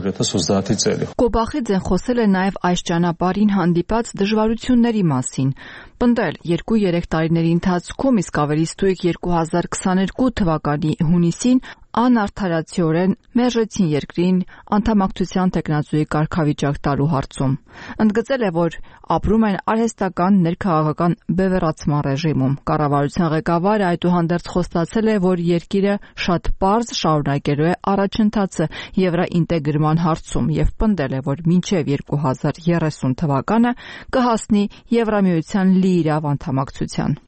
Կոբախիձեն խոսել է նաև այս ճանապարհին հանդիպած դժվարությունների մասին։ Պնդել 2-3 տարիների ընթացքում, իսկ ավելի ստույգ 2022 թվականի հունիսին անարդարացիորեն մերժեցին երկրին անդամակցության տեխնազոյի կարգավիճակ տալու հարցում։ Ընդգծել է, որ ապրում են արհեստական ներքաղաքական բևեռացման ռեժիմում։ Կառավարության ղեկավարը այդուհանդերձ խոստացել է, որ երկիրը շատ պարզ շարունակելու է առաջընթացը եվրաինտեգրման հարցում եւ պնդել է, որ մինչեւ 2030 թվականը կհասնի Եվրամիության լիիրավ անդամակցության։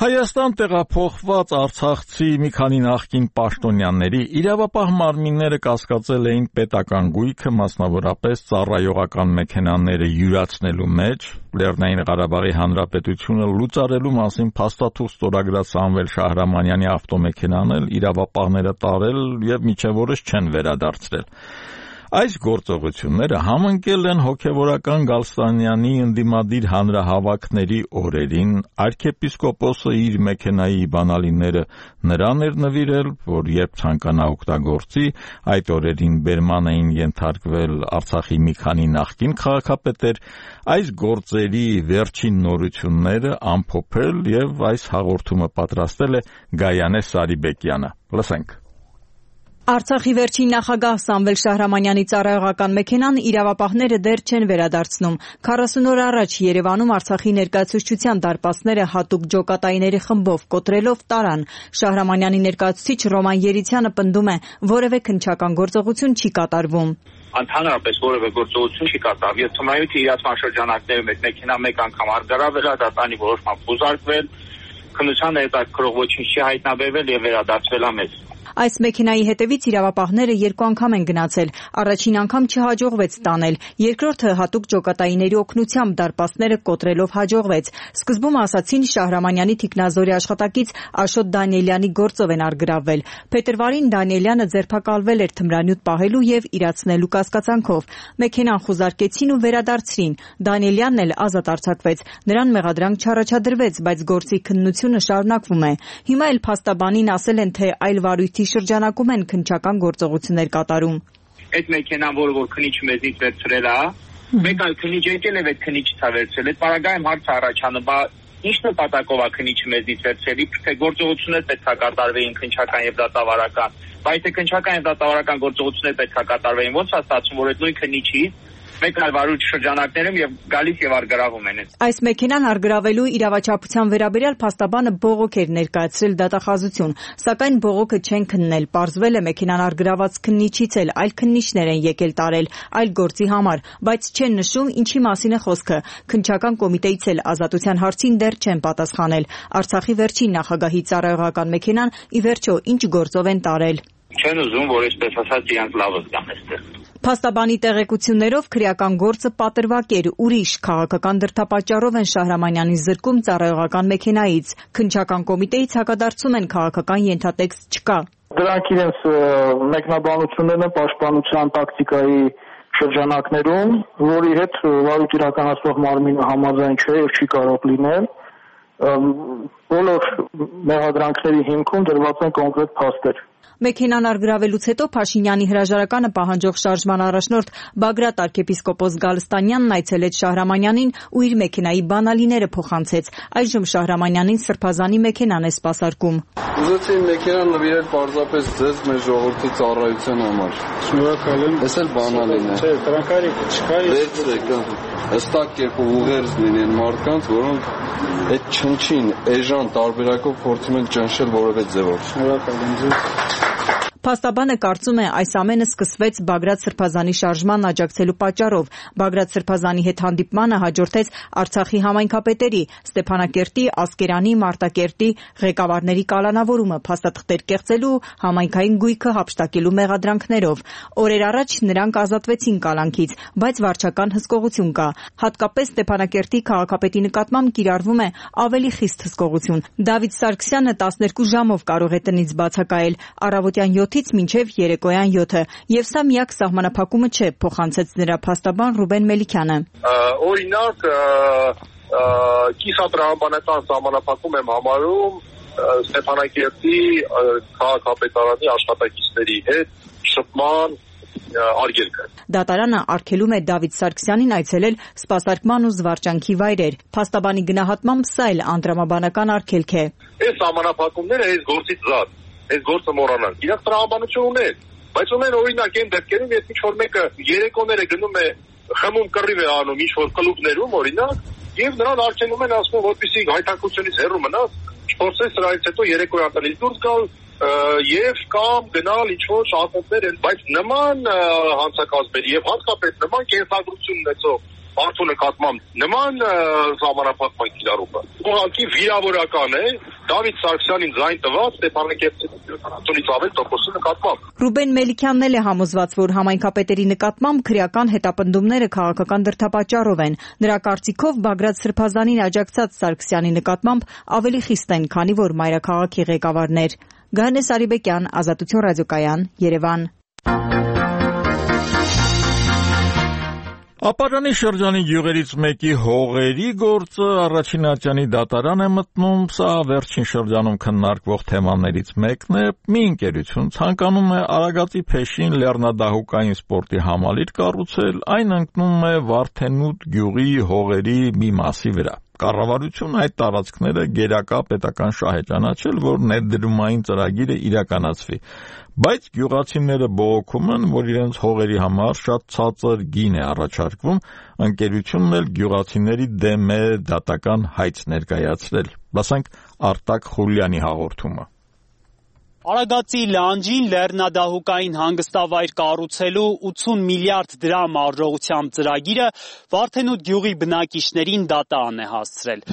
Հայաստան տեղափոխված արցախցի մի քանի նախկին պաշտոնյաների իրավապահ մարմինները կասկածել էին պետական գույքը, մասնավորապես ծառայողական մեքենաները յուրացնելու մեջ, Լեռնային Ղարաբաղի Հանրապետությունը լուծարելու մասին փաստաթուղթ ստորագրած Սամվել Շահրամանյանի ավտոմեքենան էլ իրավապահները տարել եւ մինչեւ օրս չեն վերադարձրել։ Այս գործողությունները համընկել են հոգևորական Գալստանյանի ընդդիմադիր հանրահավաքների օրերին, arczepiskopos-ը իր մեքենայի բանալիները նրան էր նվիրել, որ երբ ցանկանա օգտագործի, այդ օրերին բերման էին ենթարկվել Արցախի մի քանի նախկին քաղաքապետեր, այս գործերի վերջին նորությունները ամփոփել եւ այս հաղորդումը պատրաստել է Գայանե Սարիբեկյանը։ Լսենք։ Արցախի վերջին նախագահ Սամվել Շահրամանյանի ծառայողական մեքենան իրավապահները դեռ չեն վերադարձնում։ 40 օր առաջ Երևանում Արցախի ներկայացուցչության դարպասները հատուկ ջոկատայիների խմբով կոտրելով տարան։ Շահրամանյանի ներկայացուցիչ Ռոման Երիցյանը պնդում է, որևէ քննչական գործողություն չի կատարվում։ Ընդհանրապես որևէ գործողություն չի կատարվում։ Եվ թմայութի իրացման շրջանակներում այդ մեքենա մեկ անգամ արգարավել է, դատանի որոշմամբ խուզարկվել, քննության հետաքրքրող ոչինչ չի հայտնաբերվել եւ վերադարձվել է մեզ։ Այս մեքենայի հետևից իրավապահները 2 անգամ են գնացել, առաջին անգամ չհաջողվեց տանել, երկրորդը հատուկ ջոկատայիների օգնությամբ դարպասները կոտրելով հաջողվեց։ Սկզբում ասացին Շահրամանյանի թիկնազորի աշխատակից Աշոտ Դանիելյանի գործով են արգրավվել։ Փետրվարին Դանիելյանը ձերբակալվել էր թմրանյութ պահելու եւ իրացնելու կասկածանքով։ Մեքենան խուզարկեցին ու վերադարձրին։ Դանիելյանն էլ ազատ արձակվեց։ Նրան մեղադրանք չառաջադրվեց, բայց գործի քննությունը շարունակվում է։ Հիմա էլ փաստաբանին ասել են, թե այլ վարույթի շրջանակում են քննչական գործողություններ կատարում։ Այդ մեքենան, որ քնիչը մեզնից վերցրել է, մեկ այլ քնիչ եկել է, այդ քնիչը ցա վերցրել։ Այդ պարագայում հարց առաջանում, բա ինչ նպատակով է քնիչը մեզնից վերցրել, թե գործողություններ պետք է կատարվեին քննչական եւ դատավարական։ Բայց թե քննչական եւ դատավարական գործողություններ պետք է կատարվեին, ո՞նց է ստացվում, որ այդ նույն քնիչի մեկ այլ վարույթ շրջանակներում եւ գալիս եւ արգրավում են։ Այս մեքենան արգրավելու իրավաչափության վերաբերյալ փաստաբանը բողոք էր ներկայացրել դատախազություն, սակայն բողոքը չեն քննել։ Պարզվել է մեքենան արգրաված քննիչից էլ այլ քննիչներ են եկել տարել այլ գործի համար, բայց չեն նշում ինչի մասին է խոսքը։ Քննչական կոմիտեից էլ ազատության հարցին դեռ չեն պատասխանել։ Արցախի վերջին նախագահի ծառայողական մեքենան ի վերջո ինչ գործով են տարել։ Չեն ուզում, որ այսպես ասած իրանց լավը զգան այստեղ։ Փաստաբանի տեղեկություններով քրեական գործը պատրվակ էր, ուրիշ քաղաքական դրդապատճառով են Շահրամանյանին զրկում ծառայողական մեքենայից։ Քննչական կոմիտեից հակադարձում են քաղաքական ենթատեքստ չկա։ Դրանք իրենց մեկնաբանություններն են պաշտպանության տակտիկայի շրջանակներում, որի հետ վարույթ իրականացնող մարմինը համաձայն չէ եւ չի կարող լինել։ Բոլոր մեղադրանքների հիմքում դրված են կոնկրետ փաստեր։ Մեքենան արգրավելուց հետո Փաշինյանի հրաժարականը պահանջող շարժման առաջնորդ Բագրատ arczepiskopos Գալստանյանն այցելեց Շահրամանյանին ու իր մեքենայի բանալիները փոխանցեց։ Այժմ Շահրամանյանին սրբազանի մեքենան է սպասարկում։ Ուզեցի մեքենան նվիրել պարզապես ձեզ մեր ժողովրդի ծառայության համար։ Շնորհակալ եմ։ Էս էլ բանալին է։ Չէ, դրանք արիք չկա։ Վերցրեք, հստակ կերպով ուղերձ լինեն մարդկանց, որոնք այդ չնչին էժան տարբերակով փորձում են ճնշել որևէ ձևով։ Շնորհակալ եմ ձեզ։ Փաստաբանը կարծում է այս ամենը սկսվեց Բագրատ Սրբազանի շարժման աջակցելու պատճառով։ Բագրատ Սրբազանի հետ հանդիպմանը հաջորդեց Արցախի համայնքապետերի Ստեփանակերտի, Ասկերանի, Մարտակերտի ղեկավարների կալանավորումը փաստաթղթեր կեղծելու, համայնքային գույքը հափշտակելու մեղադրանքներով։ Օրեր առաջ նրանք ազատվեցին կալանքից, բայց վարչական հսկողություն կա։ Հատկապես Ստեփանակերտի քաղաքապետի նկատմամբ կիրառվում է ավելի խիստ հսկողություն։ Դավիթ Սարգսյանը 12 ժամով կարող է տնից բացակայել, առավոտյան 7-ից մինչև երեկոյան 7-ը, եւ սա միակ սահմանափակումը չէ, փոխանցեց նրա փաստաբան Ռուբեն Մելիքյանը։ Օրինակ, կիսատրամաբանական սահմանափակում եմ համարում Ստեփանակերտի քաղաքապետարանի աշխատակիցների հետ շփման արգելքը։ Դատարանը արգելում է Դավիթ Սարգսյանին այցելել սպասարկման ու զվարճանքի վայրեր։ Փաստաբանի գնահատմամբ սա էլ անդրամաբանական արգելք է։ Այս սահմանափակումները այս գործից զատ, այս գործը մոռանանք։ Իրանք տրամաբանություն ունեն, բայց ունեն օրինակ այն դեպքերում, երբ ինչ-որ մեկը երեկոները գնում է խմում կռիվ է անում ինչ-որ կլուբներում օրինակ, եւ նրան արգելում են ասում, որպեսզի հայտարարությունից հեռու մնաս, չփորձես սրանից հետո երեկոյան տնից դուրս գալ եւ կամ գնալ ինչ-որ շահումներ են, բայց նման հանցակազմերի եւ հատկապես նման կենսագրություն ունեցող մարդու նկատմամբ նման սահմանափակման կիրառումը ուղղակի վիրավորական է Դավիթ Սարգսյանին ձայն տված Ստեփանակերտից ավել տոկոսի նկատմամբ։ Ռուբեն Մելիքյանն էլ է համոզված, որ համայնքապետերի նկատմամբ քրեական հետապնդումները քաղաքական դրդապատճառով են։ Նրա կարծիքով Բագրատ Սրբազանին աջակցած Սարգսյանի նկատմամբ ավելի խիստ են, քանի որ մայրաքաղաքի ղեկավարներ։ Գայանե Սարիբեկյան, Ազատություն ռադիոկայան, Երևան։ Ապարանի շրջանի գյուղերից մեկի հողերի գործը առաջին ատյանի դատարան է մտնում, սա վերջին շրջանում քննարկվող թեմաներից մեկն է։ Մի ընկերություն ցանկանում է Արագածի փեշին լեռնադահուկային սպորտի համալիր կառուցել, այն ընկնում է Վարդենուտ գյուղի հողերի մի մասի վրա։ Կառավարությունը այդ տարածքները գերակա պետական շահ է ճանաչել, որ ներդրումային ծրագիրը իրականացվի, բայց գյուղացիները բողոքում են, որ իրենց հողերի համար շատ ցածր գին է առաջարկվում, ընկերությունն էլ գյուղացիների դեմ է դատական հայց ներկայացրել։ Լսենք Արտակ Խուլյանի հաղորդումը։ Արագածի լանջին լեռնադահուկային հանգստավայր կառուցելու 80 միլիարդ դրամ արժողությամբ ծրագիրը Վարդենուտ գյուղի բնակիչներին դատան է հասցրել։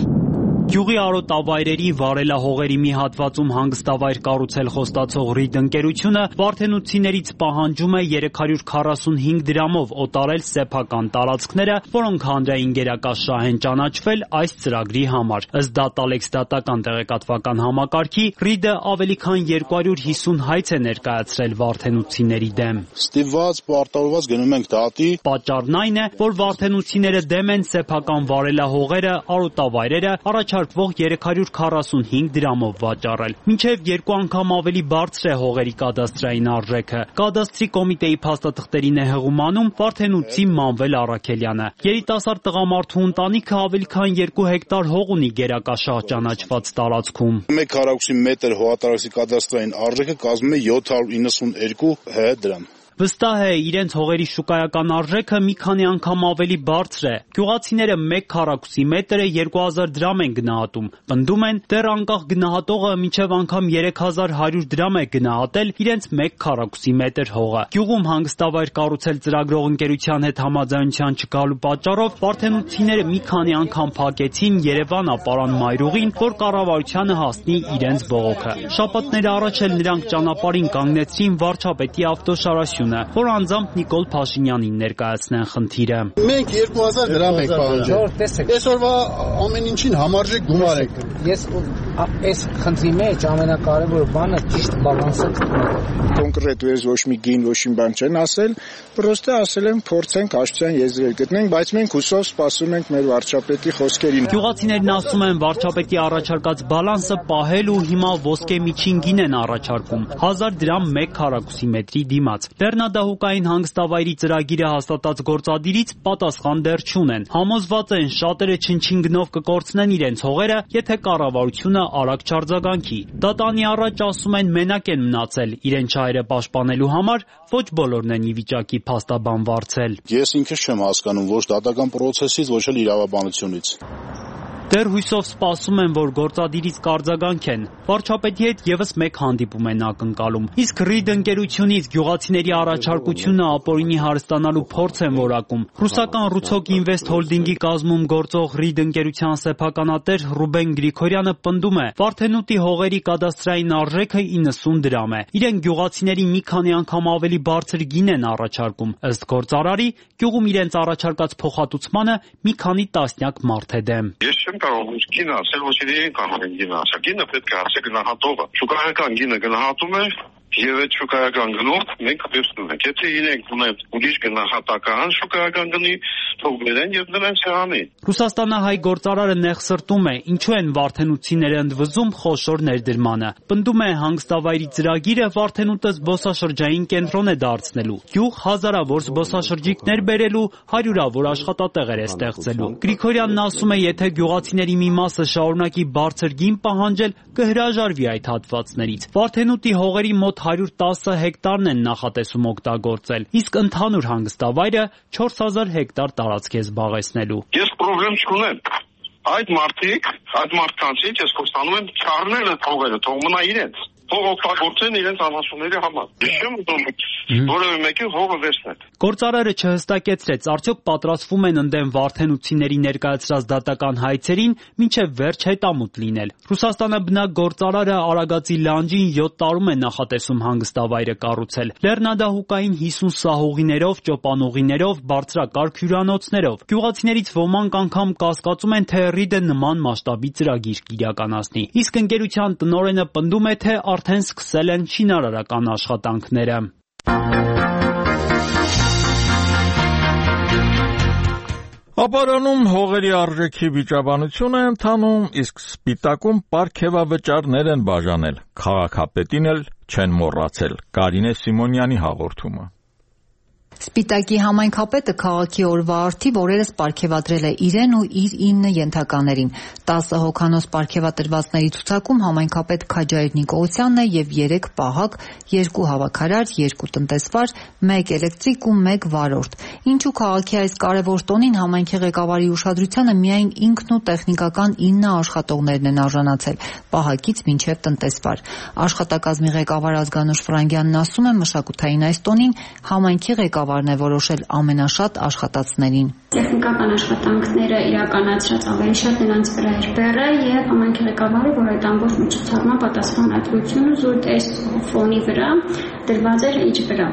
Գյուղի արոտավայրերի վարելահողերի մի հատվածում հանգստավայր կառուցել խոստացող Ռիդ ընկերությունը վարդենուցիներից պահանջում է 345 դրամով օտարել սեփական տարածքները, որոնք հանրային գերակաշահ են ճանաչվել այս ծրագրի համար։ Ըստ Դատալեքս դատական տեղեկատվական համակարգի, Ռիդը ավելի քան 250 հայց է ներկայացրել վարդենուցիների դեմ։ Ստիպված պարտավորված գնում ենք դատի։ Պատճառն այն է, որ վարդենուցիները դեմ են սեփական վարելահողերը, արոտավայրերը առաջարկվող 345 դրամով վաճառել։ Մինչև 2 անգամ ավելի բարձր է հողերի կադաստրային արժեքը։ Կադաստրի կոմիտեի փաստաթղթերին է հղումանում Վարդենուտցի Մանվել Առաքելյանը։ Երիտասարդ տղամարդու ընտանիքը ավելի քան 2 հեկտար հող ունի գերակաշահ ճանաչված տարածքում։ 1 քառակուսի մետր հողատարածքի կադաստրային արժեքը կազմում է 792 ՀՀ դրամ։ Վստահ է, իրենց հողերի շուկայական արժեքը մի քանի անգամ ավելի բարձր է։ Գյուղացիները 1 քառակուսի մետրը 2000 դրամ են գնահատում։ Պնդում են, դեռ անկախ գնահատողը մինչև անգամ 3100 դրամ է գնահատել իրենց 1 քառակուսի մետր հողը։ Գյուղում հանգստավայր կառուցել ծրագրող ընկերության հետ համաձայնության չգալու պատճառով վարդենուցիները մի քանի անգամ փակեցին Երևան ապարան մայրուղին, որ կառավարությանը հասնի իրենց բողոքը։ Շաբաթներ առաջ էլ նրանք ճանապարհին կանգնեցրին վարչապետի ավտոշարասյուն, որ անձամբ Նիկոլ Փաշինյանին ներկայացնեն խնդիրը։ Մենք 2000 դրամ ենք պահանջել։ Այսօրվա ամեն ինչին համարժեք գումար ենք։ Ես այս խնդրի մեջ ամենակարևոր բանը ճիշտ բալանսը կոնկրետ ոչ մի գին, ոչ մի բան չեն ասել, պրոստը ասել են փորձենք հաշտության եզրեր գտնենք, բայց մենք հուսով սպասում ենք մեր վարչապետի խոսքերին։ Գյուղացիներն ասում են, վարչապետի առաջարկած բալանսը պահել ու հիմա ոսկե միջին գին են առաջարկում 1000 դրամ 1 քառակուսի մետրի դիմաց։ Լեռնադահուկային հանգստավայրի ծրագիրը հաստատած գործադիրից պատասխան դեռ չունեն։ Համոզված են, շատերը չնչին գնով կկորցնեն իրենց հողերը, եթե կառավարությունը արագ չարձագանքի։ Դատանի առաջ ասում են մենակ են մնացել, իրենց շահերը պաշտպանելու համար ոչ բոլորն են ի վիճակի փաստաբան վարձել։ Ես ինքս չեմ հասկանում ոչ դատական պրոցեսից, ոչ էլ իրավաբանությունից։ Դեռ հույսով սպասում են, որ գործադիրից կարձագանքեն։ Վարչապետի հետ եւս մեկ հանդիպում են ակնկալում։ Իսկ Ռիդ ընկերությունից գյուղացիների առաջարկությունը ապօրինի հարստանալու փորձ են որակում։ Ռուսական Ռուցոկ Ինվեստ հոլդինգի կազմում գործող Ռիդ ընկերության սեփականատեր Ռուբեն Գրիգորյանը պնդում է, Վարդենուտի հողերի կադաստրային արժեքը 90 դրամ է։ Իրենք գյուղացիների մի քանի անգամ ավելի բարձր գին են առաջարկում։ Ըստ գործարարի, գյուղում իրենց առաջարկած փոխհատուցմանը մի քանի տասնյակ մարդ է դեմ։ Կարող գինը ասել, ոչ իրեն կարող են գինը ասել։ Գինը պետք է ասել գնահատողը։ Շուկայական գինը գնահատում է եւ այդ շուկայական գնով մենք վերցնում ենք։ Եթե իրենք ունեն ուրիշ գնահատական շուկայական գնի, թող բերեն եւ դրան սեղանի։ Ռուսաստանահայ գործարարը նեղսրտում է, ինչու են վարդենուցիները ընդվզում խոշոր ներդրմանը։ Պնդում է, հանգստավայրի ծրագիրը Վարդենուտը զբոսաշրջային կենտրոն է դարձնելու։ Գյուղ հազարավոր զբոսաշրջիկներ բերելու, հարյուրավոր աշխատատեղեր է ստեղծելու։ Գրիգորյանն ասում է, եթե գյուղացիների մի մասը շարունակի բարձր գին պահանջել, կհրաժարվի այդ հատվածներից։ Վարդենուտի հողերի մոտ 110 հեկտարն են նախատեսում օգտագործել, իսկ ընդհանուր հանգստավայրը 4000 հեկտար տարածք է զբաղեցնելու։ Ես խնդրեմ չունեմ։ Այդ մարդկանցից ես խոստանում եմ չառնել այդ հողերը, թող մնա իրենց։ Թող օգտագործեն իրենց անասունների համար։ Չեմ ուզում որևէ մեկի հողը վերցնել։ Գործարարը չհստակեցրեց, արդյոք պատրաստվում են ընդդեմ վարդենուցիների ներկայացրած դատական հայցերին մինչև վերջ հետամուտ լինել։ Ռուսաստանաբնակ գործարարը Արագածի լանջին 7 տարում է նախատեսում հանգստավայրը կառուցել։ Լեռնադահուկային 50 սահուղիներով, ճոպանուղիներով, բարձրակարգ հյուրանոցներով։ Գյուղացիներից ոմանք անգամ կասկածում են, թե Ռիդը նման մասշտաբի ծրագիր կիրականացնի։ Իսկ ընկերության տնօրենը պնդում է, թե արդեն սկսել են շինարարական աշխատանքները։ Ապարանում հողերի արժեքի վիճաբանություն է ընթանում, իսկ Սպիտակում պարգևավճարներ են բաժանել, քաղաքապետին էլ չեն մոռացել։ Կարինե Սիմոնյանի հաղորդումը։ Սպիտակի համայնքապետը քաղաքի օրվա արդիվ օրերս պարգևատրել է իրեն ու իր 9 ենթականերին։ 10 հոգանոց պարգևատրվածների ցուցակում համայնքապետ Քաջայր Նիկողոսյանն է եւ 3 պահակ, 2 հավաքարար, 2 տնտեսվար, 1 էլեկտրիկ ու 1 վարորդ։ Ինչու քաղաքի այս կարևոր տոնին համայնքի ղեկավարի ուշադրությանը միայն ինքն ու տեխնիկական 9 աշխատողներն են արժանացել, պահակից մինչև տնտեսվար։ Աշխատակազմի ղեկավար Ազգանուշ Ֆրանգյանն ասում է, մշակութային այս տոնին համայնքի ղեկավարն է որոշել ամենաշատ աշխատածներին։ Տեխնիկական աշխատանքները իրականացրած ավելի շատ նրանց վրա էր բեռը եւ համայնքի ղեկավարը, որ այդ ամբողջ միջոցառման պատասխանատվությունը զուտ այս ֆոնի վրա դրված էր իր վրա։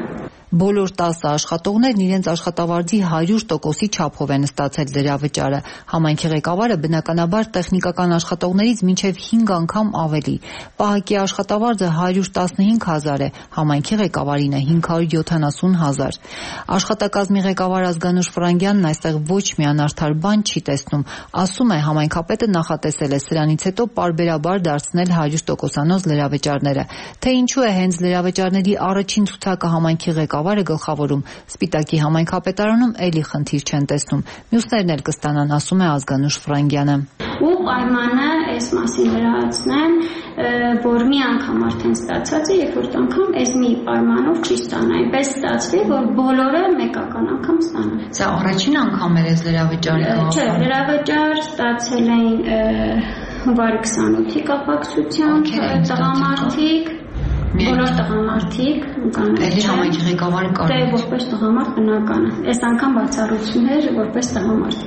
Բոլոր 10 աշխատողներն իրենց աշխատավարձի 100%-ի չափով են ստացել դրավճարը։ Համայնքի ղեկավարը բնականաբար տեխնիկական աշխատողներից մինչև 5 անգամ ավելի։ Պահակի աշխատավարձը 115,000 է, համայնքի ղեկավարին է 570,000։ Աշխատակազմի ղեկավար Ազգանուշ Ֆրանգյանն այստեղ ոչ մի անարդար բան չի տեսնում։ Ասում է, համայնքապետը նախատեսել է սրանից հետո պարբերաբար դարձնել 100%-անոց լրավճարները։ Թե ինչու է հենց լրավճարների առաջին ցուցակը համայնքի ղեկավարը գլխավորում, Սպիտակի համայնքապետարանում էլի խնդիր չեն տեսնում։ Մյուսներն էլ կստանան, ասում է Ազգանուշ Ֆրանգյանը։ Ու պայմանը այս մասին լրացնեն, որ մի անգամ արդեն ստացած է, երբ որ անգամ այս մի պայմանով չի ստանա, այնպես ստացվի, որ բոլորը մեկական անգամ ստանան։ Սա առաջին անգամ էր այս լրավճարը։ Չէ, լրավճար ստացել էին հունվարի 28-ի կապակցությամբ տղամարդիկ, բոլոր տղամարդիկ Էլի համայնքի ղեկավարը կարող է որպես տղամարդ բնական է։ Այս անգամ բացառություն էր որպես տղամարդ։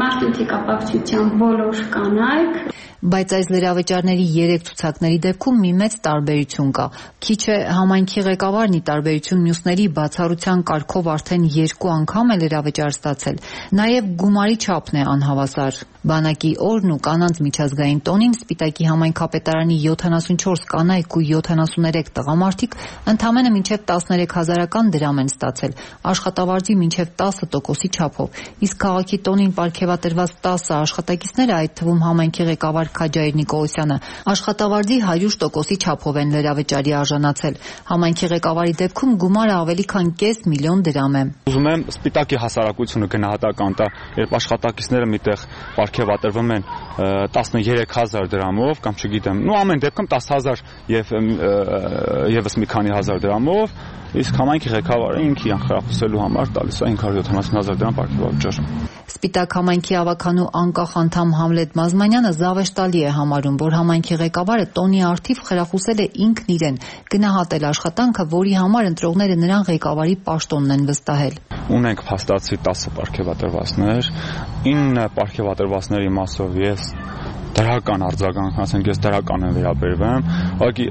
Մարտի կապակցությամբ բոլոր կանայք Բայց այս լրավճարների 3 ցուցակների դեպքում մի մեծ տարբերություն կա։ Քիչ է համայնքի ղեկավարն ի տարբերություն մյուսների բացառության կարգով արդեն 2 անգամ է լրավճար ստացել։ Նաև գումարի չափն է անհավասար։ Բանակի օրն ու կանանց միջազգային տոնին Սպիտակի համայնքապետարանի 74 կանայք ու 73 տղամարդիկ ընդամենը մինչև 13,000 դրամ են ստացել, աշխատավարձի մինչև 10%-ի չափով։ Իսկ քաղաքի տոնին պարգևատրված 10 աշխատակիցները, այդ թվում համայնքի ղեկավար Քաջայր Նիկողոսյանը, աշխատավարձի 100%-ի չափով են լրավճարի արժանացել։ Համայնքի ղեկավարի դեպքում գումարը ավելի քան կես միլիոն դրամ է։ Ուզում եմ Սպիտակի հասարակությունը գնահատական տա, երբ աշխատակիցները միտեղ պարգևատրվում են 13,000 դրամով կամ չգիտեմ, ամեն դեպքում 10,000 եւ եւս մի քանի հազար դրամով, իսկ համայնքի ղեկավարը ինքի անխրախուսելու համար տալիս է 570,000 դրամ պարգևաճար։ Սպիտակ համայնքի ավականու անկախ անդամ Համլետ Մազմանյանը զավեշտալի է համարում, որ համայնքի ղեկավարը տոնի արդիվ խրախուսել է ինքն իրեն, գնահատել աշխատանքը, որի համար ընտրողները նրան ղեկավարի պաշտոնն են վստահել։ Ունենք փաստացի 10 պարգևատրվածներ, 9 պարգևատրվածների մասով ես դրական արձագանք, ասենք ես դրական եմ վերաբերվում, ուղղակի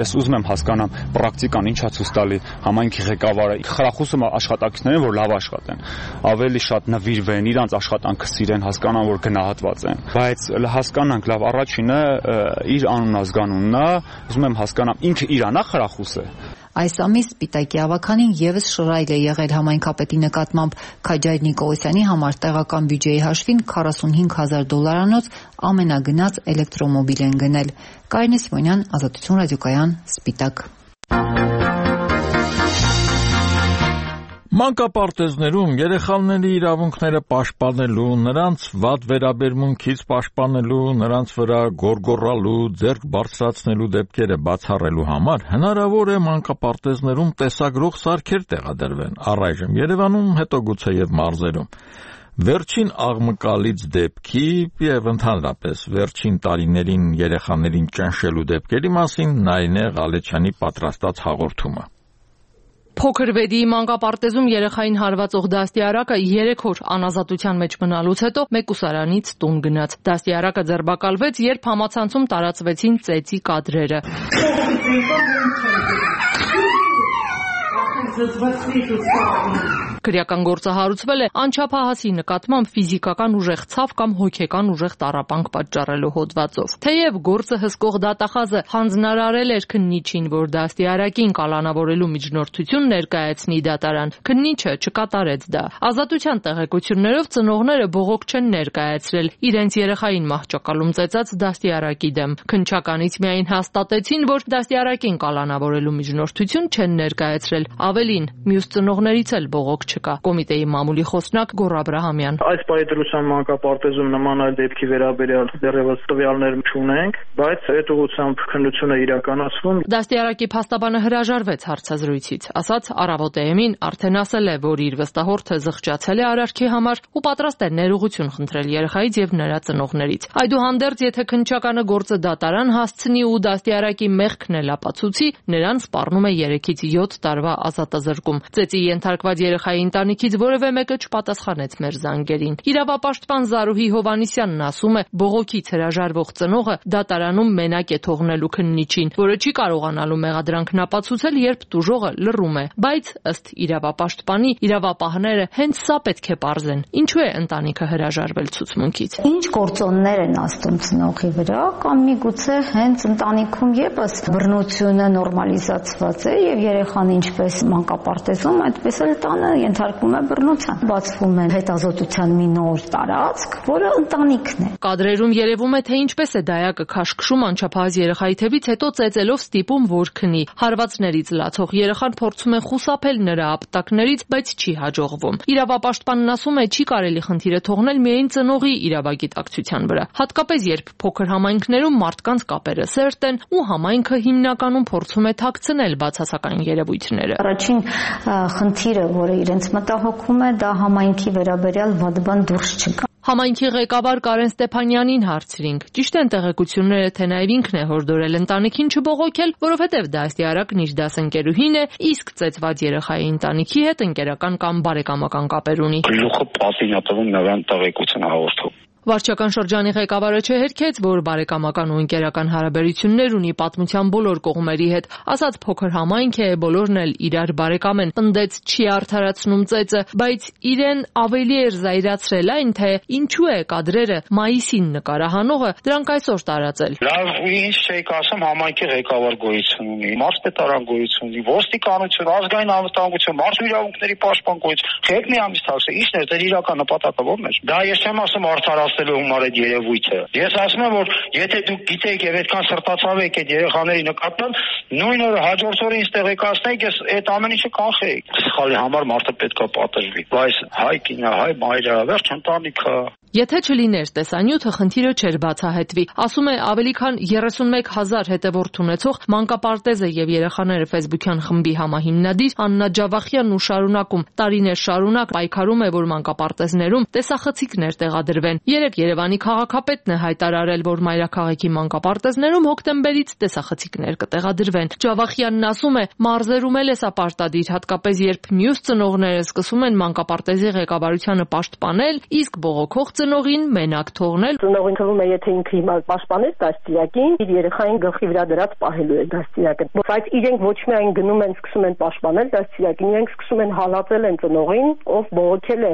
ես ուզում եմ հասկանամ պրակտիկան ինչա ցույց տալի համայնքի ղեկավարը խրախուսում աշխատակիցներին, որ լավ աշխատեն, ավելի շատ նվիրվեն, իրանց աշխատանքը սիրեն, հասկանան, որ գնահատված են, բայց հասկանանք լավ, առաջինը իր անուն-ազգանունն է, ուզում եմ հասկանամ ինքը իրանա խրախուսը։ Այս ամիս Սպիտակի ավականին եւս շռայլ է եղել համայնքապետի նկատմամբ Քաջայր Նիկողոսյանի համար տեղական բյուջեի հաշվին $45,000 ամենագնաց էլեկտրոմոբիլ են գնել։ Կարինե Սիմոնյան, Ազատություն ռադիոկայան, Սպիտակ։ Մանկապարտեզներում երեխաների իրավունքները պաշտպանելու, նրանց վատ վերաբերմունքից պաշտպանելու, նրանց վրա գոռգոռալու, ձեռք բարձրացնելու դեպքերը բացառելու համար հնարավոր է մանկապարտեզներում տեսագրող սարքեր տեղադրվեն, առայժմ Երևանում, հետո գուցե եւ մարզերում։ Վերջին աղմկալից դեպքի եւ ընդհանրապես վերջին տարիներին երեխաներին ճնշելու դեպքերի մասին Նարինե Ղալեչյանի պատրաստած հաղորդումը։ Փոքր Վեդի մանկապարտեզում երեխային հարվածող դաստիարակը 3 օր անազատության մեջ մնալուց հետո մեկուսարանից տուն գնաց։ Դաստիարակը ձերբակալվեց, երբ համացանցում տարածվեցին ծեծի կադրերը։ Քրեական գործը հարուցվել է անչափահասի նկատմամբ ֆիզիկական ուժեղ ցավ կամ հոգեկան ուժեղ տառապանք պատճառելու հոդվածով։ Թեև գործը հսկող դատախազը հանձնարարել էր քննիչին, որ դաստիարակին կալանավորելու միջնորդություն ներկայացնի դատարան, քննիչը չկատարեց դա։ Ազատության տեղեկություններով ծնողները բողոք չեն ներկայացրել իրենց երեխային մահճակալում ծեծած դաստիարակի դեմ։ Քննչականից միայն հաստատեցին, որ դաստիարակին կալանավորելու միջնորդություն չեն ներկայացրել։ Ավելին, մյուս ծնողներից էլ բողոք չկա։ Կոմիտեի մամուլի խոսնակ Գոռ Աբրահամյան. Այս պայդրության մանկապարտեզում նման այլ դեպքի վերաբերյալ դեռևս տվյալներ չունենք, բայց այդ ուղղությամբ քննությունը իրականացվում։ Դաստիարակի փաստաբանը հրաժարվեց հարցազրույցից, ասաց Առավոտ-ին արդեն ասել է, որ իր վստահորդը զղջացել է արարքի համար ու պատրաստ է ներուղություն խնդրել երեխայից եւ նրա ծնողներից։ Այդուհանդերձ, եթե քննչականը գործը դատարան հասցնի ու դաստիարակի մեղքն էլ ապացուցի, նրան սպառնում է 3-ից 7 տարվա ազատազրկում։ Ծեծի ենթարկված երեխայի ընտանիքից որևէ մեկը չպատասխանեց մեր զանգերին։ Իրավապաշտպան Զարուհի Հովհաննիսյանն ասում է, բողոքից հրաժարվող ծնողը դատարանում մենակ է թողնելու քննիչին, որը չի կարողանալու մեղադրանքն ապացուցել, երբ տուժողը լռում է։ Բայց ըստ իրավապաշտպանի, իրավապահները հենց սա պետք է պարզեն։ Ինչու է ընտանիքը հրաժարվել ցուցմունքից։ Ինչ գործոններ են աստում ծնողի վրա, կամ միգուցե հենց ընտանիքում եւս բռնությունը նորմալիզացված է եւ երեխան ինչպես մանկապարտեզում, այդպես էլ տանը ենթարկվում է բռնության։ Բացվում է հետազոտության մի նոր տարածք, որը ընտանիքն է։ Կադրերում երևում է, թե ինչպես է դայակը քաշքշում անչափահաս երեխայի թևից, հետո ծեծելով ստիպում, որ քնի։ Հարվածներից լացող երեխան փորձում է խուսափել նրա ապտակներից, բայց չի հաջողվում։ Իրավապաշտպանն ասում է, չի կարելի խնդիրը թողնել միայն ծնողի իրավագիտակցության վրա, հատկապես երբ փոքր համայնքներում մարդկանց կապերը սերտ են ու համայնքը հիմնականում փորձում է թաքցնել բացասական երևույթները։ Առաջին խնդիրը, որը իրենց մտահոգում է, դա համայնքի վերաբերյալ վատ բան դուրս չգա։ Համայնքի ղեկավար Կարեն Ստեփանյանին հարցրինք. ճիշտ են տեղեկությունները, թե նաև ինքն է հորդորել ընտանիքին չբողոքել, որովհետև դաստիարակն իր դասընկերուհին է, իսկ ծեծված երեխայի ընտանիքի հետ ընկերական կամ բարեկամական կապեր ունի։ Գլուխը պատին է տվում նրան տեղեկություն հաղորդում։ Վարչական շրջանի ղեկավարը չհերքեց, որ բարեկամական ու ընկերական հարաբերություններ ունի պատմության բոլոր կողմերի հետ, ասաց փոքր համայնք է, բոլորն էլ իրար բարեկամ են, պնդեց չի արդարացնում ծեծը, բայց իրեն ավելի էր զայրացրել այն, թե ինչու է կադրերը մայիսին նկարահանողը դրանք այսօր տարածել։ Լավ, ինչ չեք ասում, համայնքի ղեկավար գոյություն ունի, մարզպետարան գոյություն ունի, ոստիկանություն, ազգային անվտանգություն, մարդու իրավունքների պաշտպան գոյություն, խեք մի ամիս թաքցել, ի՞նչն է դեր իրական նպատակը ո՞րն է։ Դա ես չեմ ասում արդարացնելու համար այդ երևույթը։ Ես ասում եմ, որ եթե դուք գիտեք եւ այդքան սրտացավ եք այդ երեխաների նկատմամբ, նույն օրը հաջորդ օրը ինձ տեղեկացնեք, ես այդ ամեն ինչը կանխեի։ Սխալի համար մարդը պետքա պատժվի։ Բայց հայ կինը, հայ մայրը, վերջ ընտանիքը։ Եթե չլիներ տեսանյութը, խնդիրը չէր բացահայտվի, ասում է ավելի քան 31,000 հետևորդ ունեցող մանկապարտեզը եւ երեխաները ֆեյսբուքյան խմբի համահիմնադիր Աննա Ջավախյանն ու շարունակում տարիներ շարունակ պայքարում է, որ մանկապարտեզներում տեսախցիկներ տեղադրվեն։ Երեկ Երևանի քաղաքապետն է հայտարարել, որ մայրաքաղաքի մանկապարտեզներում հոկտեմբերից տեսախցիկներ կտեղադրվեն։ Ջավախյանն ասում է, մարզերում էլ է սա պարտադիր, հատկապես երբ մյուս ծնողները սկսում են մանկապարտեզի ղեկավարությանը պաշտպանել, իսկ բողոքող ծնողին մենակ թողնել։ Ծնողին թվում է, եթե ինքը հիմա պաշտպանեց դաստիարակին, իր երեխային գլխի վրա դրած պահելու է դաստիարակը։ Բայց իրենք ոչ միայն գնում են սկսում են պաշտպանել դաստիարակին, իրենք սկսում են հալածել են ծնողին, ով բողոքել է,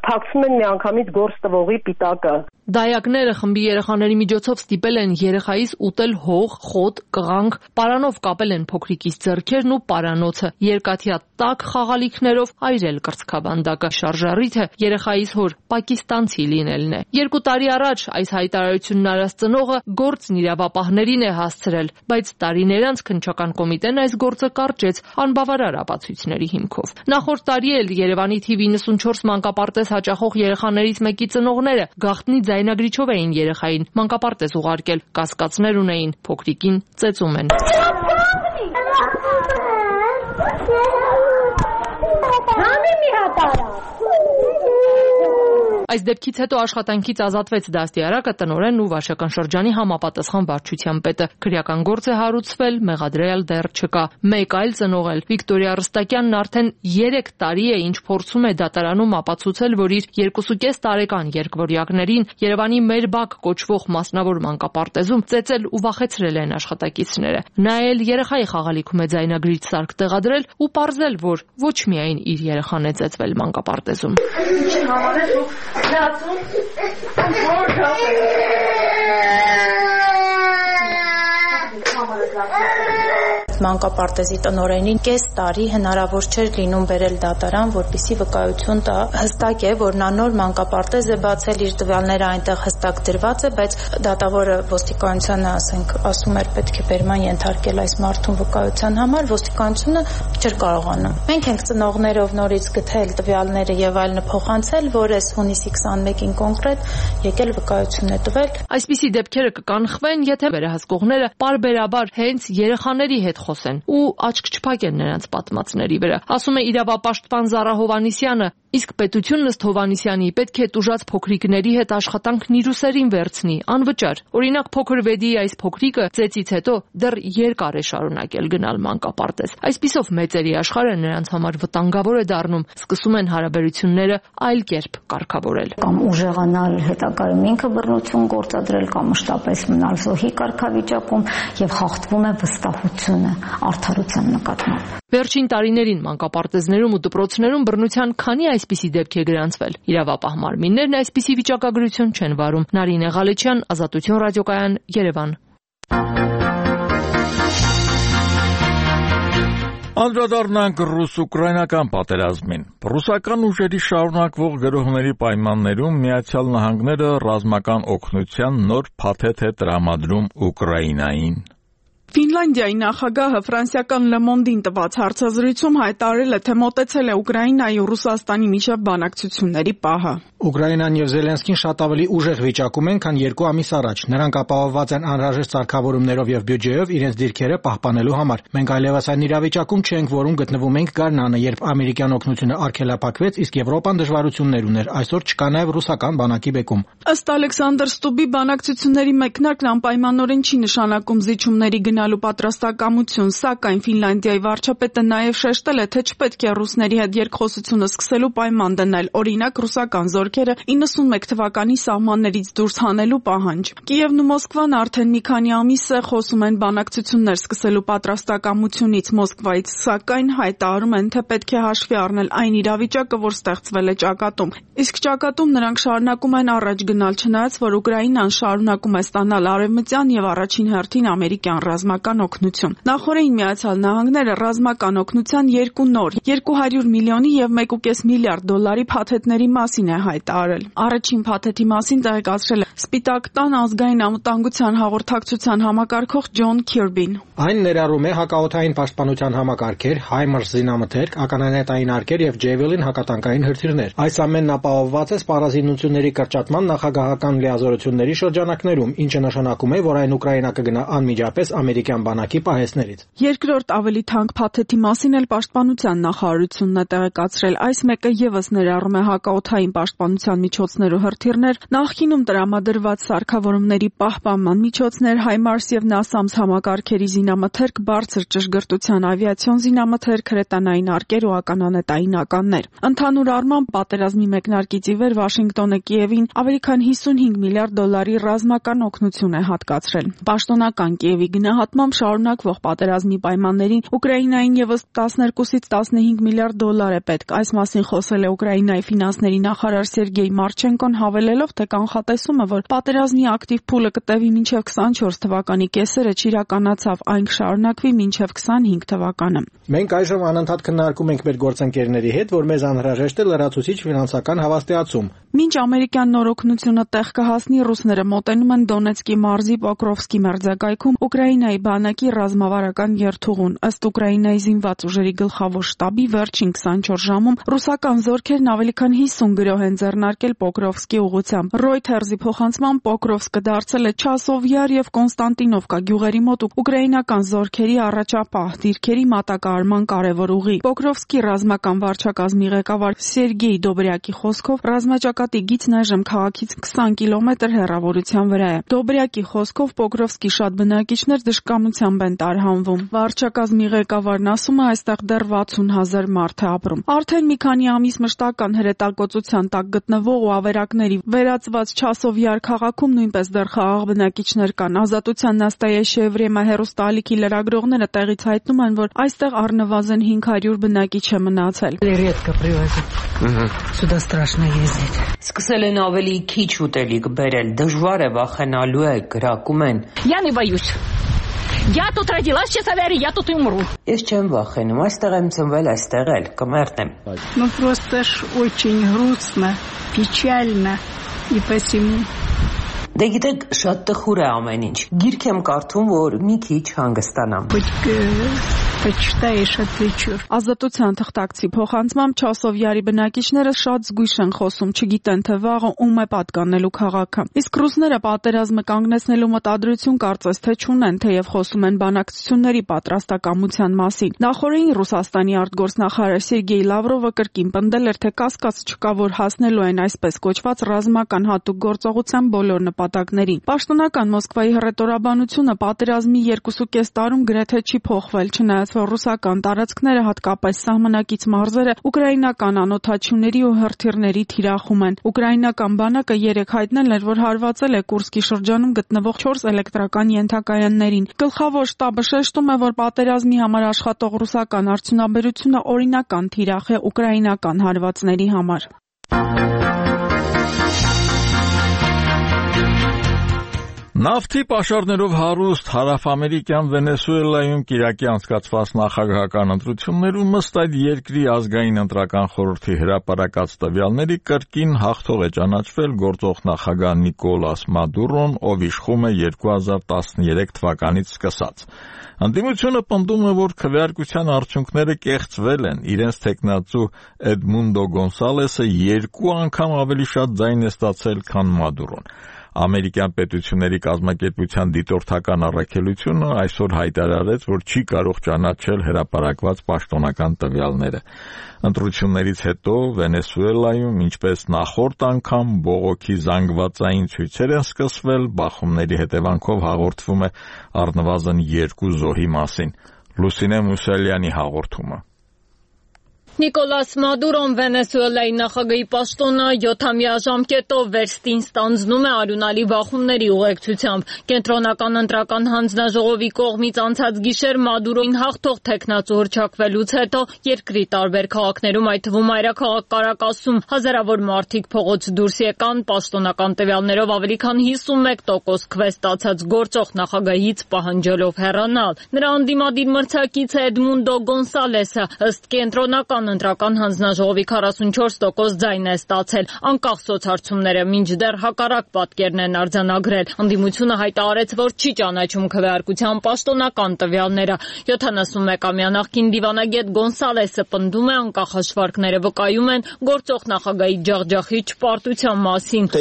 փակցում են միանգամից գործ տվողի պիտակը։ Դայակները խմբի երեխաների միջոցով ստիպել են երեխայից ուտել հող, խոտ, կղանք, պարանով կապել են փոքրիկից ձեռքերն ու պարանոցը, երկաթյա տաք խաղալիքներով այրել կրծքաբանդակը։ Շարժառիթը երեխայից հոր պակիստանցի լինելն է։ 2 տարի առաջ այս հայտարարությունն արած ծնողը գործն իրավապահներին է հասցրել, բայց տարիներ անց քննչական կոմիտեն այս գործը կարճեց անբավարար ապացույցների հիմքով։ Նախորդ տարի էլ Երևանի թիվ 94 մանկապարտեզ հաճախող երեխաներից մեկի ծնողները գաղտնի ձայնագրիչով էին երեխային մանկապարտեզ ուղարկել, կասկածներ ունեին, փոքրիկին ծեծում են։ Այս դեպքից հետո աշխատանքից ազատվեց դաստիարակը, տնօրենն ու վարչական շրջանի համապատասխան վարչության պետը։ Քրեական գործ է հարուցվել, մեղադրել դեռ չկա։ Մեկ այլ ծնողել Վիկտորիա Ռստակյանն արդեն 3 տարի է ինչ փորձում է դատարանում ապացուցել, որ իր 2.5 տարեկան երկվորյակներին Երևանի Մեր բակ կոչվող մասնավոր մանկապարտեզում ծեծել ու վախեցրել են աշխատակիցները։ Նա էլ երեխայի խաղալիքում է ձայնագրիչ սարք տեղադրել ու պարզել, որ ոչ միայն իր երեխան է ծեծվել մանկապարտեզում։ Մանկապարտեզի տնօրենին կես տարի հնարավոր չէր լինում բերել դատարան, որպեսզի վկայություն տա։ Հստակ է, որ նա նոր մանկապարտեզ է բացել, իր տվյալները այնտեղ հստակ դրված է, բայց դատավորը ոստիկանությանը, ասում էր պետք է բերման ենթարկել այս մարդուն վկայության համար, ոստիկանությունը չէր կարողանում։ Մենք ենք ծնողներով նորից գտել տվյալները եւ այլն փոխանցել, որ այս հունիսի 21-ին կոնկրետ եկել վկայություն է տվել։ Այսպիսի դեպքերը կկանխվեն, եթե վերահսկողները պարբերաբար հենց երեխաների հետ խոսեն ու աչք չփակեն նրանց պատմածների վրա։ Ասում է իրավապաշտպան Զարա Հովանիսյանը, իսկ պետությունն ըստ Հովանիսյանի պետք է տուժած փոքրիկների հետ աշխատանքն իր ուսերին վերցնի, անվճար։ Օրինակ փոքր Վեդիի այս փոքրիկը ծեծից հետո դեռ երկար է շարունակել գնալ մանկապարտեզ։ Այսպիսով մեծերի աշխարհը նրանց համար վտանգավոր է դառնում, սկսում են հարաբերությունները այլ կերպ կարգավորել։ Կամ ուժեղանալ հետագայում ինքը բռնություն գործադրել կամ մշտապես մնալ զոհի կարգավիճակում եւ խախտվում է վստահությունը արդարության նկատմամբ։ Վերջին տարիներին մանկապարտեզներում ու դպրոցներում բռնության քանի այսպիսի դեպք է գրանցվել։ Իրավապահ մարմիններն այսպիսի վիճակագրություն չեն վարում։ Նարինե Ղալեչյան, Ազատություն ռադիոկայան, Երևան։ Անդրադառնանք ռուս-ուկրաինական պատերազմին։ Ռուսական ուժերի շարունակվող գրոհների պայմաններում Միացյալ Նահանգները ռազմական օգնության նոր փաթեթ է տրամադրում Ուկրաինային։ Ֆինլանդիայի նախագահը ֆրանսիական Le Monde-ին տված հարցազրույցում հայտարարել է, թե մոտեցել է Ուկրաինայի ու Ռուսաստանի միջև բանակցությունների պահը։ Ուկրաինան եւ Զելենսկին շատ ավելի ուժեղ վիճակում են, քան 2 ամիս առաջ։ Նրանք ապահովված են անհրաժեշտ սարքավորումներով եւ բյուջեով իրենց դիրքերը պահպանելու համար։ Մենք այլևս այն իրավիճակում չենք, որում գտնվում ենք գարնանը, երբ ամերիկյան օգնությունը արգելափակվեց, իսկ Եվրոպան դժվարություններ ուներ։ Այսօր չկա նաեւ ռուսական բանակի բեկում։ Ըստ Ալեքսանդր Ստուբի, բանակցությունների մեկնարկն անպայմանորեն չի նշանակում զիջումների գնալու պատրաստակամություն, սակայն Ֆինլանդիայի վարչապետը նաև շեշտել է, թե չպետք է ռուսների հետ երկխոսությունը սկսելու պայման դնել, օրինակ ռուսական զորքերը 91 թվականի սահմաններից դուրս հանելու պահանջ։ Կիևն ու Մոսկվան արդեն մի քանի ամիս է խոսում են բանակցություններ սկսելու պատրաստակամությունից Մոսկվայից, սակայն հայտարարում են, թե պետք է հաշվի առնել այն իրավիճակը, որ ստեղծվել է ճակատում։ Իսկ ճակատում նրանք շարունակում են առաջ գնալ, չնայած որ Ուկրաինան շարունակում է ստանալ արևմտյան եւ առաջին հերթին ամերիկյան ռազմական օգնություն։ Նախորդին Միացյալ Նահանգները ռազմական օգնության 2 նոր 200 միլիոնի եւ 1.5 միլիարդ դոլարի փաթեթների մասին է հայտարարել։ Առաջին փաթեթի մասին տեղեկացրել է Սպիտակ տան ազգային անվտանգության հաղորդակցության համակարգող Ջոն Քիրբին։ Այն ներառում է հակաօդային պաշտպանության համակարգեր, HIMARS զինամթերք, ականանետային արկեր եւ Javelin հակատանկային հրթիռներ։ Այս ամենն ապահովված է սպառազինությունների կրճատման նախագահական լիազորությունների շրջանակներում, ինչը նշանակում է, որ այն Ուկրաինա կգնա անմիջապես ամերիկյան բանակի պահեստներից։ Երկրորդ ավելի թանկ փաթեթի մասին էլ պաշտպանության նախարարությունն է տեղեկացրել։ Այս մեկը եւս ներառում է հակաօդային պաշտպանության միջոցներ ու հրթիռներ, նախկինում տրամադրված սարքավորումների պահպանման միջոցներ, HIMARS եւ NASAMS համակարգերի զինամթերք, բարձր ճշգրտության ավիացիոն զինամթերք, հրետանային արկեր ու ականանետային ականներ։ Ընդհանուր առմամբ պատերազմի մեկնարկից ի վեր Վաշինգտոնը Կիևին ավելի քան 55 միլիարդ դոլարի ռազմական օգնություն է հատկացրել։ Պաշտոնական Կիևի գնահատմամբ շարունակվող պատերազմի պայմաններին Ուկրաինային եւս 12-ից 15 միլիարդ դոլար է պետք։ Այս մասին խոսել է Ուկրաինայի ֆինանսների նախարար Սերգեյ Մարչենկոն, հավելելով, թե կանխատեսումը, որ պատերազմի ակտիվ փուլը կտևի մինչև 24 թվականի կեսերը, չիրականացավ, այն կշարունակվի մինչև 25 թվականը։ Մենք այժմ անընդհատ քննարկում ենք մեր գործընկերների հետ, որ մեզ անհրաժեշտ է լրացուցիչ ֆինանսական հավաստիացում։ Մինչ ամերիկյան նոր օգնությունը տեղ կհասնի, ռուսները մոտենում են Դոնեցկի մարզի Պոկրովսկի մերձակայքում Ուկրաինայի բանակի ռազմավարական երթուղուն։ Ըստ Ուկրաինայի զինված ուժերի գլխավոր շտաբի, վերջին 24 ժամում ռուսական զորքերն ավելի քան 50 գրոհ են ձեռնարկել Պոկրովսկի ուղղությամբ։ Reuters-ի փոխանցմամբ Պոկրովսկը դարձել է Չասովյար եւ Կոնստանտինովկա գյուղերի մոտ ուկրաինական զորքերի առաջապահ դիրքերի մատակարարման կարևոր ուղի։ Պոկրովսկի ռազմական վարչակազմի ղեկավար Սերգեյ Դոբրյակի խոսքով ռազմաճակատի գիծն այժմ քաղաքից 20 կիլոմետր հեռավորության վրա է։ Դոբրյակի խոսքով Պոկրովսկի շատ բնակիչներ դժկամությամբ են տարհանվում։ Վարչակազմի ղեկավարն ասում է, այստեղ դեռ 60,000 մարդ է ապրում։ Արդեն մի քանի ամիս մշտական հրետակոծության տակ գտնվող ու ավերակների վերածված Չասովյար քաղաքում նույնպես դեռ խաղաղ բնակիչներ կան։ Ազատության Նաստայեշիա Եվրեմա հեռուստաալիքի լրագրողները տեղից հայտնում են, որ այստեղ առնվազն 500 բնակիչ է մնացել։ Սուդա страшно ездить։ Սկսել են ավելի քիչ ուտելիք բերել, դժվար է, վախենալու է, գրակում են։ Я не боюсь. Я тут родилась, честно говоря, я тут и умру. Ես չեմ վախենում, այստեղ եմ ծնվել, այստեղ էլ կմեռնեմ։ Ну просто ж очень грустно, печально и посему. Դե գիտեք, շատ տխուր է ամեն ինչ։ Գիրք եմ կարդում, որ մի քիչ հանգստանամ։ Ազատության թղթակցի փոխանցմամբ Չասովյարի բնակիչները շատ զգույշ են խոսում, չգիտեն թե վաղը ում է պատկանելու քաղաքը։ Իսկ ռուսները պատերազմը կանգնեցնելու մտադրություն կարծես թե չունեն, թեև խոսում են բանակցությունների պատրաստակամության մասին։ Նախորդին Ռուսաստանի արտգործնախարար Սերգեյ Լավրովը կրկին պնդել էր, թե կասկած չկա, որ հասնելու են այսպես կոչված ռազմական հատուկ գործողության բոլոր նպատակներին։ Պաշտոնական Մոսկվայի հռետորաբանությունը պատերազմի 2.5 տարում գրեթե չի փոխվել, չնայած որ ռուսական տարածքները, հատկապես սահմանակից մարզերը, ուկրաինական անօդաչուների ու հրթիռների թիրախում են։ Ուկրաինական բանակը երեկ հայտնել էր, որ հարվածել է Կուրսկի շրջանում գտնվող 4 էլեկտրական ենթակայաններին։ Գլխավոր շտաբը շեշտում է, որ պատերազմի համար աշխատող ռուսական արդյունաբերությունը օրինական թիրախ է ուկրաինական հարվածների համար։ Նավթի պաշարներով հարուստ հարավամերիկյան Վենեսուելայում կիրակի անցկացված նախագահական ընտրություններում ըստ այդ երկրի ազգային ընտրական խորհրդի հրապարակած տվյալների կրկին հաղթող է ճանաչվել գործող նախագահ Նիկոլաս Մադուրոն, ով իշխում է 2013 թվականից սկսած։ Ընդդիմությունը պնդում է, որ քվեարկության արդյունքները կեղծվել են, իրենց թեկնածու Էդմունդո Գոնսալեսը 2 անգամ ավելի շատ ձայն է ստացել, քան Մադուրոն։ Ամերիկյան պետությունների կազմակերպության դիտորդական առաքելությունը այսօր հայտարարեց, որ չի կարող ճանաչել հրապարակված պաշտոնական տվյալները։ Ընտրություններից հետո Վենեսուելայում, ինչպես նախորդ անգամ, բողոքի զանգվածային ցույցեր են սկսվել, բախումների հետևանքով հաղորդվում է առնվազն 2 զոհի մասին։ Լուսինե Մուսալյանի հաղորդումը։ Նիկոլաս Մադուրոն Վենեսուելայի նախագահի պաշտոնը 7-ամյա ժամկետով վերստին ստանձնում է արյունալի բախումների ուղեկցությամբ։ Կենտրոնական ընտրական հանձնաժողովի կողմից անցած գիշեր Մադուրոին հաղթող թեկնածու հռչակվելուց հետո երկրի տարբեր քաղաքներում, այդ թվում մայրաքաղաք Կարակասում, հազարավոր մարդիկ փողոց դուրս եկան, պաշտոնական տվյալներով ավելի քան 51% քվե ստացած գործող նախագահից պահանջելով հեռանալ։ Նրա անդիմադիր մրցակիցը Էդմունդո Գոնսալեսը ըստ կենտրոնական ընտրական հանձնաժողովի 44% ձայն է ստացել։ Անկախ սոցհարցումները մինչդեռ հակառակ պատկերն են արձանագրել։ Ընդդիմությունը հայտարարեց, որ չի ճանաչում քվեարկության պաշտոնական տվյալները։ 71-ամյա նախկին դիվանագետ Գոնսալեսը պնդում է, անկախ հաշվարկները վկայում են գործող նախագահի ջախջախիչ պարտության մասին։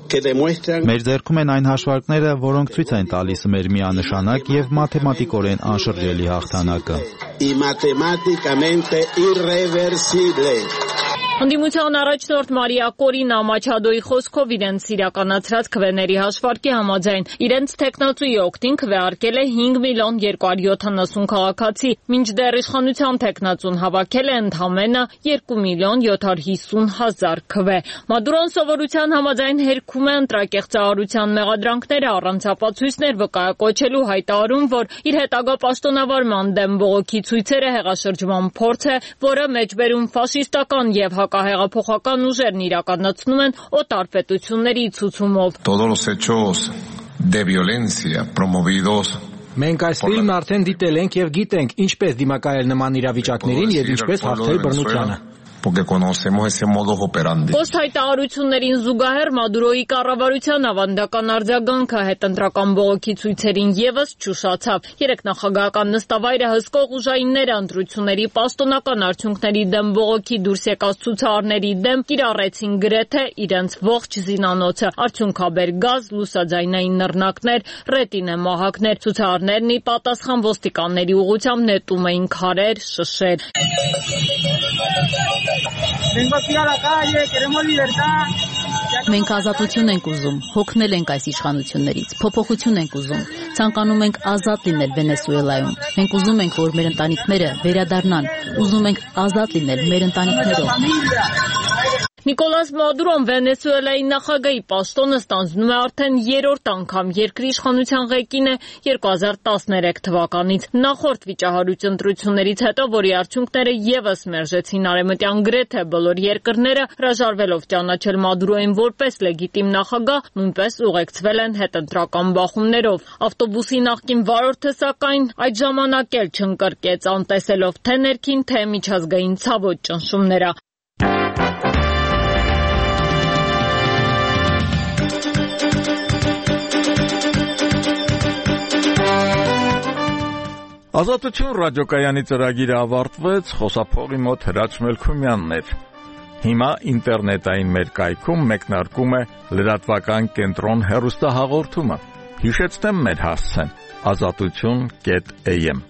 Մեր ձեռքում են այն հաշվարկները, որոնք ցույց են տալիս մեր միանշանակ եւ մաթեմատիկորեն անշրջելի հաղթանակը։ Ընդդիմության առաջնորդ Մարիա Կորինա Մաչադոյի խոսքով իրենց իրականացրած քվեների հաշվարկի համաձայն իրենց թեկնածուի օգտին քվեարկել է 5,270,000 քաղաքացի, մինչդեռ իշխանության թեկնածուն հավաքել է ընդամենը 2,750,000 քվե։ Մադուրոն սովորության համաձայն հերքում է ընտրակեղծարարության մեղադրանքները, առանց ապացույցներ վկայակոչելու հայտարարում, որ իր հետագա պաշտոնավարման դեմ բողոքի ցույցերը հեղաշրջման փորձ է, որը մեջբերում ֆաշիստական եւ հակահեղափոխական ուժերն իրականացնում են օտար պետությունների ցուցումով։ Մենք այս ֆիլմն արդեն դիտել ենք եւ գիտենք ինչպես դիմակայել նման իրավիճակներին եւ ինչպես հաղթել բռնությանը։ porque conocemos ese modus operandi. Post հայտարարություններին զուգահեռ Մադուրոյի կառավարության ավանդական արձագանքը հետընտրական բողոքի ցույցերին եւս չուշացավ։ Երեք նախագահական նստավայրը հսկող ուժայինները ընտրությունների պաշտոնական արդյունքների դեմ բողոքի դուրս եկած ցուցարարների դեմ կիրառեցին գրեթե իրենց ողջ զինանոցը։ Արդյունքաբեր գազ, լուսաձայնային նռնակներ, ռետինե մահակներ, ցուցարարներն ի պատասխան ոստիկանների ուղղությամբ նետում էին քարեր, շշեր։ Մենք ազատություն ենք ուզում, հոգնել ենք այս իշխանություններից, փոփոխություն ենք ուզում, ցանկանում ենք ազատ լինել Վենեսուելայում։ Մենք ուզում ենք, որ մեր ընտանիքները վերադառնան, ուզում ենք ազատ լինել մեր ընտանիքներով։ Նիկոլաս Մադուրոն Վենեսուելայի նախագահի պաշտոնը ստանձնում է արդեն երրորդ անգամ, երկրի իշխանության ղեկին է 2013 թվականից։ Նախորդ վիճահարույց ընտրություններից հետո, որի արդյունքները եւս մերժեցին արևմտյան գրեթե բոլոր երկրները, հրաժարվելով ճանաչել Մադուրոյին որպես լեգիտիմ նախագահ, նույնպես ուղեկցվել են հետընտրական բախումներով։ Ավտոբուսի նախկին վարորդը, սակայն, այդ ժամանակ էլ չընկրկեց, անտեսելով թե ներքին, թե միջազգային ցավոտ ճնշումները։ Ազատություն ռադիոկայանի ծրագիրը ավարտվեց, խոսափողի մոտ Հրաչ Մելքումյանն էր։ Հիմա ինտերնետային մեր կայքում մեկնարկում է լրատվական կենտրոն հեռուստահաղորդումը։ Հիշեցնեմ մեր հասցեն՝ azatutun.am